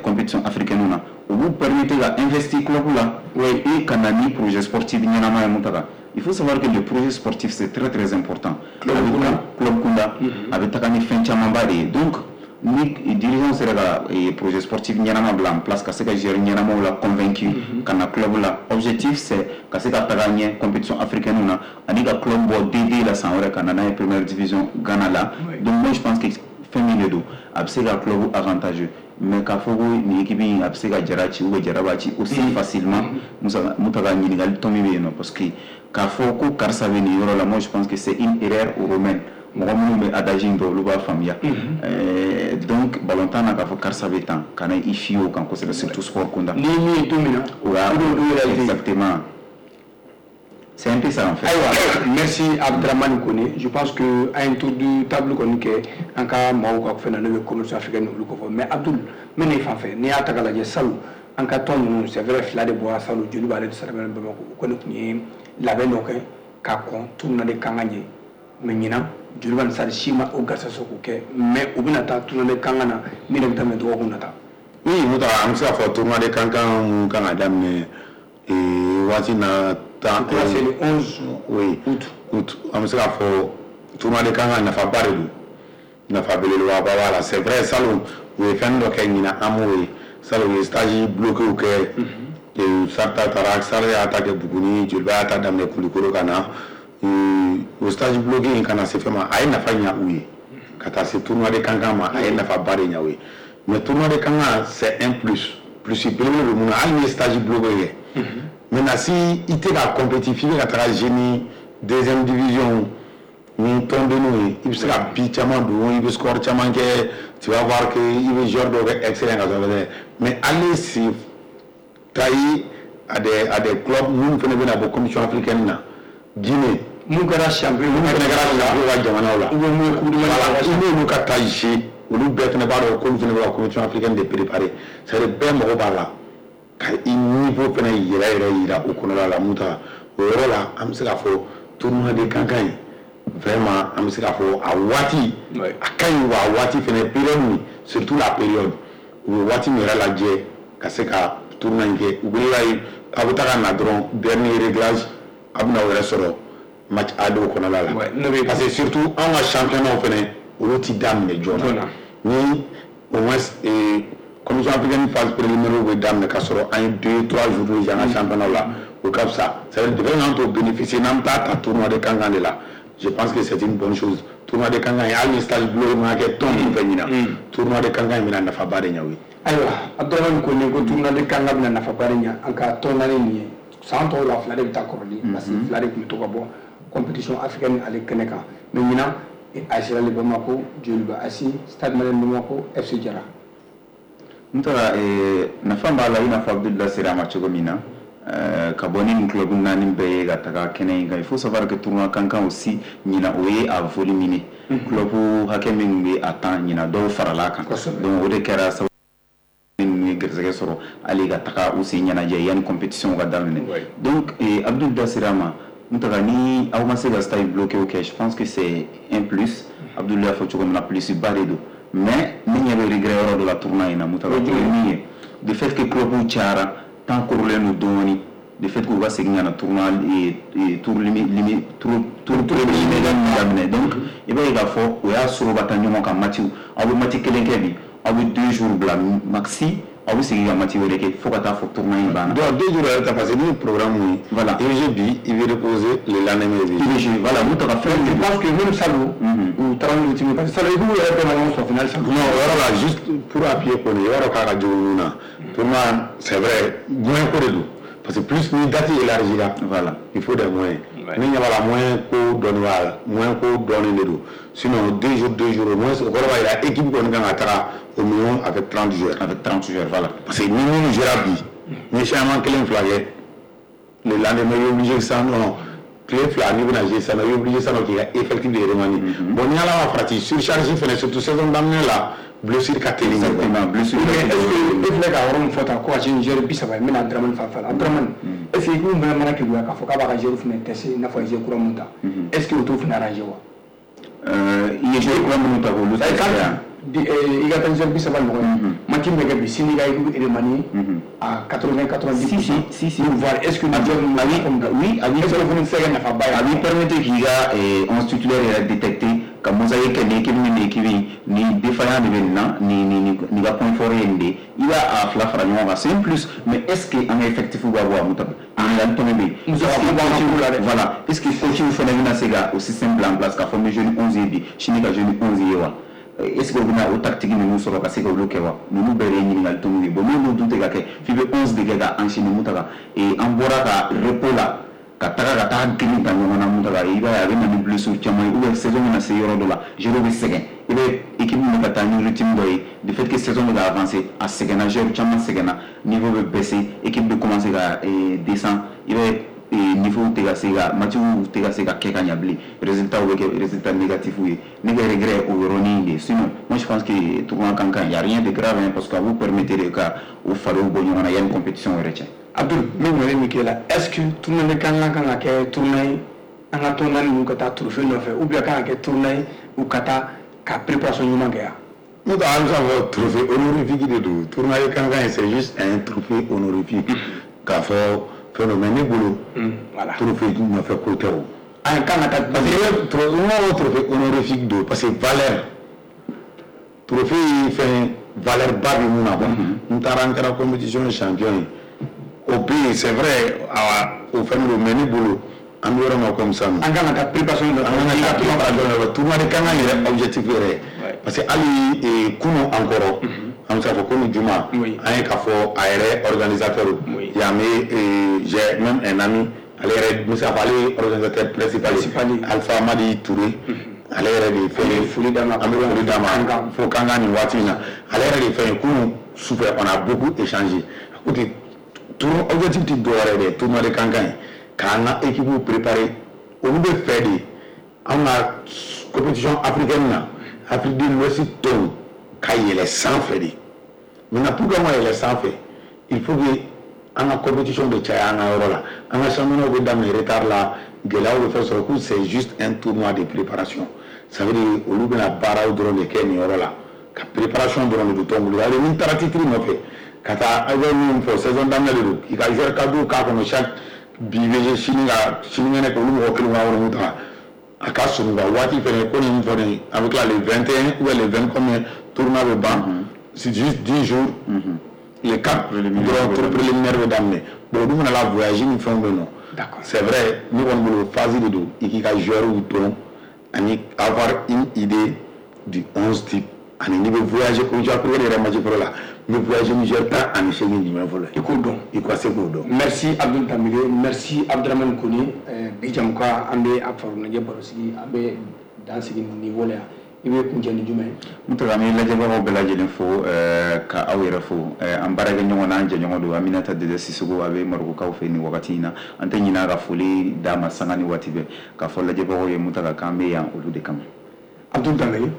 compétition africaine na, o b'u permettre ka investir club la et ka na ni projet sportif ɲɛnama ye. Mun ta, il faut savoir que le projet sportif, c'est très très important. Club kunda. Club kunda, a bɛ taga ni fɛn camanba de ye. Donc ni dirigeant sera ka projet sportif ɲɛnama bila en place, ka se ka joueur ɲɛnamaw la convaincu ka na club la, objectif, c'est ka se ka taga ɲɛ compétition africaine na ani ka club bɔ D deux la san wɛrɛ ka na n'a ye première division Ghana la. Donc moi, je pense que fɛn min de don, a bɛ se ka club avantageux. Mais k'a fɔ ko nin équipe in a bɛ se ka Jara ci ou bien Jara b'a ci aussi facilement, Musa Mutaga, ɲininkali tɔ min bɛ yen nɔ, parce que k'a fɔ ko karisa bɛ nin yɔrɔ la, moi je pense que c'est une erreur romaine. Mɔgɔ minnu bɛ adage in dɔn, olu b'a faamuya. Donc balontan na, k'a fɔ karisa bɛ tan, kana i fier o kan kosɛbɛ, surtout sport kunda. Ni min ye don min na, o y'a exactement, c'est un peu ça en fait. Ayiwa, merci Abdramane Kone. Je pense que an ye tour de table kɔni kɛ an ka maaw ka fɛn na, n'o ye commerce africaine olu ko fɔ. Mais Abdul, n bɛ na i fan fɛ. N'i y'a ta k'a lajɛ, salon an ka tɔn ninnu, c'est vrai, fila de bɔra salon, Joliba ale de Stade Bamakɔ, o kɔni tun ye labɛn dɔ kɛ ka kɔn tournoi de Kankan ɲɛ. Mais ɲinan, Joliba ni Stade si ma o garisɛgɛ sɔrɔ k'o kɛ, mais u bɛna taa tournoi de Kankan na min de bɛ daminɛ dɔgɔkun nata. Oui, Muta, an bɛ se k'a fɔ tournoi de Kankan mun kan ka daminɛ waati na tan. C'est le onze oui août. Août. An bɛ se k'a fɔ tournoi de Kankan nafaba de don, nafa belebeleba b'a la. C'est vrai, salon u ye fɛn dɔ kɛ ɲinan, an m'o ye. Salon u ye stage bloqué kɛ, Sarta taara, Sare y'a ta kɛ Buguni, Joliba y'a ta daminɛ Kulikoro ka na. O stage bloqué in kana se fɛn ma, a ye nafa ɲa u ye ka taa se tournoi de Kankan ma, a ye nafaba de ɲa u ye. Mais tournoi de Kankan, c'est un plus, plus belebele don mun na, hali ni ye stage bloqué kɛ. Maintenant, si i tɛ ka compétir, f'i bɛ ka taga jouer ni deuxième division ni tɔndenninw ye, i bɛ se ka but caman don, i bɛ score caman kɛ, tu vas voir que i bɛ joueur dɔw kɛ excellent ka sɔrɔ dɛ. Mais aller se tailler à des à des clubs minnu fana bɛna bɔ compétition africaine na, Guinée, mun kɛra champion, minnu fana kɛra champion ka jamanaw la, ou bien mun ye coupe du monde. Voilà, i n'olu ka taa jouer, olu bɛɛ fana b'a dɔn k'olu fana bɛ ka compétition africaine de préparer. C'est à dire bɛɛ mago b'a la ka i niveau fana yɛrɛ yɛrɛ yira o kɔnɔna la. Mun ta o yɔrɔ la, an bɛ se k'a fɔ tournoi de Kankan ye, vraiment, an bɛ se k'a fɔ a waati a ka ɲi wa. A waati fana, période min, surtout la période u bɛ waati min yɛrɛ lajɛ ka se ka tournoi in kɛ, u bɛ ye a bɛ taga na dɔrɔn, dernier réglage, a bɛna o yɛrɛ sɔrɔ match A dɔw kɔnɔna la, parce que surtout anw ka championnat fana, olu ti daminɛ joona. Ni au moins compétition africaine phase préliminaire bɛ daminɛ ka sɔrɔ an ye deux trois jours déjà an ka championnat la, o ka fisa. C'est à dire de k'an t'o bénéficier n'an bɛ taa ta tournoi de Kankan de la, je pense que c'est une bonne chose. Tournoi de Kankan ye, hali ni stage bloqué ma kɛ tɔn min fɛ ɲinan, tournoi de Kankan in bɛna nafaba de ɲɛ o ye. Ayiwa, Abdramane Kone ko tournoi de Kankan bɛna nafaba de ɲɛ an ka tɔn naani nin ye. San tɔw la, fila de bɛ taa kɔrɔlen, parce que fila de tun bɛ to ka bɔ compétition africaine ale kɛnɛ kan. Mais ɲinan, A S Real Bamako, Joliba A S, Stade Malien Bamako, F C Jara. N taara, nafa b'a la, i n'a fɔ Abdul sera a ma cogo min na, ka bɔ ni nin club naani bɛɛ ye ka taga kɛnɛ in kan. Il faut savoir que tournoi Kankan aussi ɲinan, o ye a voluminé. Club hakɛ min bɛ a tan ɲinan, dɔw farala a kan. Donc o de kɛra sababu ninnu ye garisɛgɛ sɔrɔ hali ka taga u sen ɲɛnajɛ yanni compétition ka daminɛ. Donc Abdul da sera a ma, n taga, ni aw ma se ka stage bloqué kɛ, je pense que c'est un plus. Abdul y'a fɔ cogo min na, plus ba de don. Mais ne ɲɛ bɛ regret yɔrɔ dɔ la tournoi in na, Mutaga, o ye min ye, de fait que club cayara, temps korolen don dɔɔni. De fait k'u ka segin ka na tournoi tour limi tour tour préliminaire daminɛ. Donc i b'a ye k'a fɔ o y'a sɔrɔ ka taa ɲɔgɔn kan. Match, aw bɛ match kelen kɛ bi, aw bɛ deux jours bila maxi, aw bɛ segin ka match wɛrɛ kɛ fo ka taa fɔ tournoi in banna. Donc deux jours yɛrɛ ta, parce que ni programme ye. Voilà. I bɛ jouer bi, i bɛ reposer le lendemain, i bɛ i bɛ jouer, voilà, n'u taga fɛn. Je pense que même salon, u taara n'u rythme, parce que salon équipe yɛrɛ bɛɛ ma ɲɔgɔn sɔrɔ finale salon. Non, o yɔrɔ la, juste pour appuyer kɔni, i b'a dɔn k'a ka jugu mun na. Tournoi, c'est vrai, moyen ko de don. Parce que plus ni date élargira, voilà, il faut des moyens. Ni ɲɛ b'a la, moyen ko dɔɔni b'a la, moyen ko dɔɔni de don. Sinon deux jours, deux jours, au moins o kɔrɔ b'a jira équipe kɔni kan ka taga au minimum avec trente joueurs. Avec trente joueurs, voilà. Parce que ni minnu jouera bi, ni changement kelen fila kɛ, le lendemain i est obligé sisan nɔ, tile fila n'i bɛna jouer sisan nɔ, i est obligé sisan nɔ k'i ka effectif de remanier. Bon, ni Ala ma farati, surcharge fɛnɛ, surtout saison daminɛ la, blessure ka teli. Exactement, blessure. Mais est-ce que e filɛ ka yɔrɔ min fɔ tan ko ka se joueur bi saba ye, n bɛna Dramane fan fɛ la. Dramane, est-ce que équipe fana mana keguya k'a fɔ k'a b'a ka joueur fana tester, i n'a fɔ a ye joueur kura mun ta, est-ce que o t'o fana arranger wa? I ye joueur kura minnu ta k'olu tester yan? I ka taa joueur bi saba ɲɔgɔn ye, match min bɛ kɛ bi, sini ka équipe remanier à quatre-vingts quatre-vingt-dix. Si si si si. Pour voir est-ce que ni joueur ninnu oui, a b'i est-ce que o fana tɛ se ka kɛ nafaba ye? A b'i permettre k'i ka onze titulaire yɛrɛ détecter, ka mosaïque kɛ, nin équipe ni nin équipe in, nin défaillant de bɛ nin na, nin nin nin ka point fort ye nin de ye, i b'a a fila fara ɲɔgɔn kan, c'est un plus. Mais est-ce que an ka effectif b'a bɔ a mun ta ɲininkali tɔnɔ bɛ yen. Voilà, est-ce que coach fana bɛna se ka o système bila en place k'a fɔ n bɛ jouer ni onze ye bi, sini ka jouer ni onze ye wa? Est-ce que o bɛna o tactique ninnu sɔrɔ ka se k'olu kɛ wa? Ninnu bɛɛ de ye ɲininkali tɔnw ye. Bon, n'olu dun tɛ ka kɛ f'i bɛ onze de kɛ ka enchaîner mun ta kan, an bɔra ka repos la ka taga ka taa girin ta ɲɔgɔn na mun ta kan, i b'a ye a bɛ na ni blessure caman ye, ou bien saison bɛna se yɔrɔ dɔ la, joueur bɛ sɛgɛn. I bɛ équipe min bɛ ka taa ni rythme dɔ ye, du fait que saison bɛ ka avancer, a sɛgɛnna, joueur caman sɛgɛnna, niveau bɛ baisser, équipe bɛ commencer ka descendre. I bɛ niveau tɛ ka se ka match tɛ ka se ka kɛ ka ɲɛ bilen, résultat bɛ kɛ résultat négatif ye. Ne ka regret o yɔrɔnin de. Sinon moi je pense que tournoi kan kan, y a rien de grave hein, parce que a b'u permettre de ka o fariw bɔ ɲɔgɔn na yanni compétition yɛrɛ cɛ. Abdul, n bɛ ɲininkali min k'e la, est-ce que tournoi de kan kan ka kɛ tournoi ye an ka tournoi ninnu ka taa trophée nɔfɛ, ou bien kan ka kɛ tournoi ye u ka taa ka préparation ɲuman kɛ yan? N'o tɛ, an bɛ se k'a fɔ trophée honorifique de don. Tournoi de kan kan, c'est juste un trophée honorifique k'a fɔ fɛn dɔ, mais ne bolo, trophée nɔfɛ ko tɛ o. An kan ka taa parce que n ko trophée honorifique don, parce que valeur trophée ye fɛn valeur ba bɛ mun na quoi. N taara n kɛra compétition champion ye, o bɛ yen, c'est vrai, o fɛn don, mais ne bolo, an bɛ yɔrɔ min na comme ça. An kan ka taa préparation nɔfɛ, an kan ka taa préparation nɔfɛ, tournoi de kan kan yɛrɛ objectif yɛrɛ, parce que hali kunun an kɔrɔ, an bɛ se k'a fɔ kunun juma, an ye k'a fɔ a yɛrɛ organisateur yan bɛ, j'ai même un ami, ale yɛrɛ n bɛ se k'a fɔ ale ye organisateur principal ye, Alpha Madi Touré, ale yɛrɛ de ye fɛn ye. Foli d'a ma. An bɛ foli d'a ma fo Kankan nin waati in na. Ale yɛrɛ de ye fɛn ye, kunun sufɛ on a beaucoup échangé. A ko ten, tournoi objectif tɛ dɔwɛrɛ ye dɛ, tournoi de Kankan ye k'an ka équipe préparer, olu bɛ fɛ de an ka compétition africaine na, Afrique de l'Ouest tɔnw ka yɛlɛ sanfɛ de. Maintenant, pour que an ka yɛlɛ sanfɛ, il faut que an ka compétition bɛ caya an ka yɔrɔ la, an ka championnat bɛ daminɛ retard la, gɛlɛyaw bɛ fɛn sɔrɔ, ko c'est juste un tournoi de préparation. Ça veut dire olu bɛna baaraw dɔrɔn de kɛ nin yɔrɔ la, ka préparation dɔrɔn de don tɔn bolo. Hali ni taara titre nɔfɛ ka taa, aw bɛ min fɔ, saison daminɛ de don, k'i ka joueur cadre k'a kɔnɔ, chaque bi bɛ sini ka sinikɛnɛ kɛ, olu mɔgɔ kelen ka yɔrɔ ta a ka surun ka waati fɛnɛ ko nin fɔ nin, a bɛ tila le vingt et un ou bien le vingt combien, tournoi bɛ ban, c'est juste dix jours, le quatre dɔrɔn tour préliminaire bɛ daminɛ. Bon, olu mana la voyage ni fɛnw bɛ yen nɔ. C'est vrai, ne kɔni bolo, phase de don, i k'i ka joueur dɔn ani avoir une idée du onze type, ani n'i bɛ voyager comme tu as yɛrɛ match fɔlɔ la, n bɛ voyager ni joueur tan ani seegin jumɛn fɔlɔ, i k'o dɔn. I ka se k'o dɔn. Merci Abdul Danbele, merci Abdramane Kone. Bi jamukan, an bɛ a farikoloɲɛnajɛ baro sigi, an bɛ dan sigi nin niveau la yan. I bɛ kuncɛ ni jumɛn ye? N tɔgɔ, an bɛ lajɛbagaw bɛɛ lajɛlen fo, ka aw yɛrɛ fo, an baarakɛ ɲɔgɔn n'an jɛɲɔgɔn don, Aminata Dede Sisoko, a bɛ Marɔkukaw fɛ nin wagati in na. An tɛ ɲinɛ a ka foli d'a ma sanga ni waati bɛɛ, k'a fɔ lajɛbagaw ye Mutaga k'an bɛ yan olu de kama. Abdul Danbele.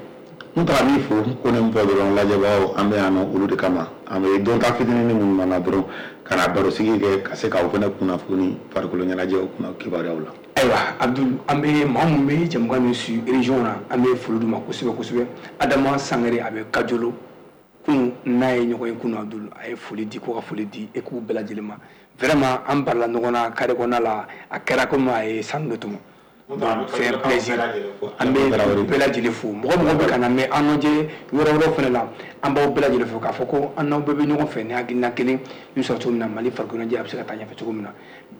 N taara min fo ko ne fɔ dɔrɔn, lajɛbagaw, an bɛ yan nɔ olu de kama. An bɛ dɔn ta fitinin minnu nana dɔrɔn ka na barosigi kɛ, ka se k'aw fana kunnafoni farikolo ɲɛnajɛw kunna kibaruyaw la. Ayiwa Abdul, an bɛ maa mun bɛ jamukan min su région na, an bɛ foli d'u ma kosɛbɛ kosɛbɛ. Adama Sangare, a bɛ Kajolo, kunun n'a ye ɲɔgɔn ye kunun, Abdul a ye foli di, ko ka foli di e k'u bɛɛ lajɛlen ma. Vraiment, an barila ɲɔgɔn na carré kɔnɔna la, a kɛra komi a ye sanu de tɔmɔ. Donc c'est un plaisir. An bɛ bɛɛ lajɛlen fo. Mɔgɔ mɔgɔ bɛ ka na mɛn an lajɛ yɔrɔ wɛrɛw fana la, an b'aw bɛɛ lajɛlen fo k'a fɔ ko an n'aw bɛɛ bɛ ɲɔgɔn fɛ ni hakilina kelen min sɔrɔ cogo min na, Mali farikolo ɲɛnajɛ a bɛ se ka taa ɲɛfɛ cogo min na.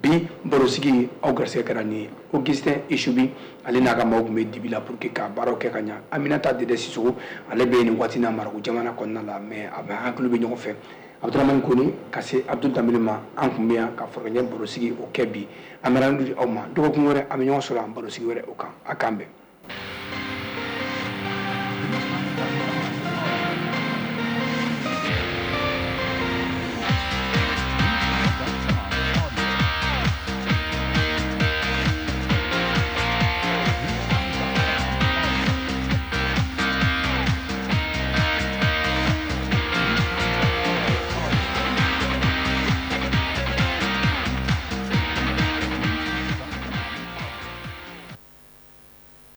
Bi barosigi, aw garisɛgɛ kɛra nin ye. Augustin Isubi, ale n'a ka maaw tun bɛ dibi la pour que ka baaraw kɛ ka ɲa. Aminata Dede Sisoko, ale bɛ nin waati na Marako jamana kɔnɔna la, mais a bɛ hakili bɛ ɲɔgɔn fɛ. Abdramane Kone ka se Abdul Danbele ma, an tun bɛ yan ka farikolo barosigi o kɛ bi. An bɛ di aw ma dɔgɔkun wɛrɛ, an bɛ ɲɔgɔn sɔrɔ an barosigi wɛrɛ o kan. A k'an bɛn.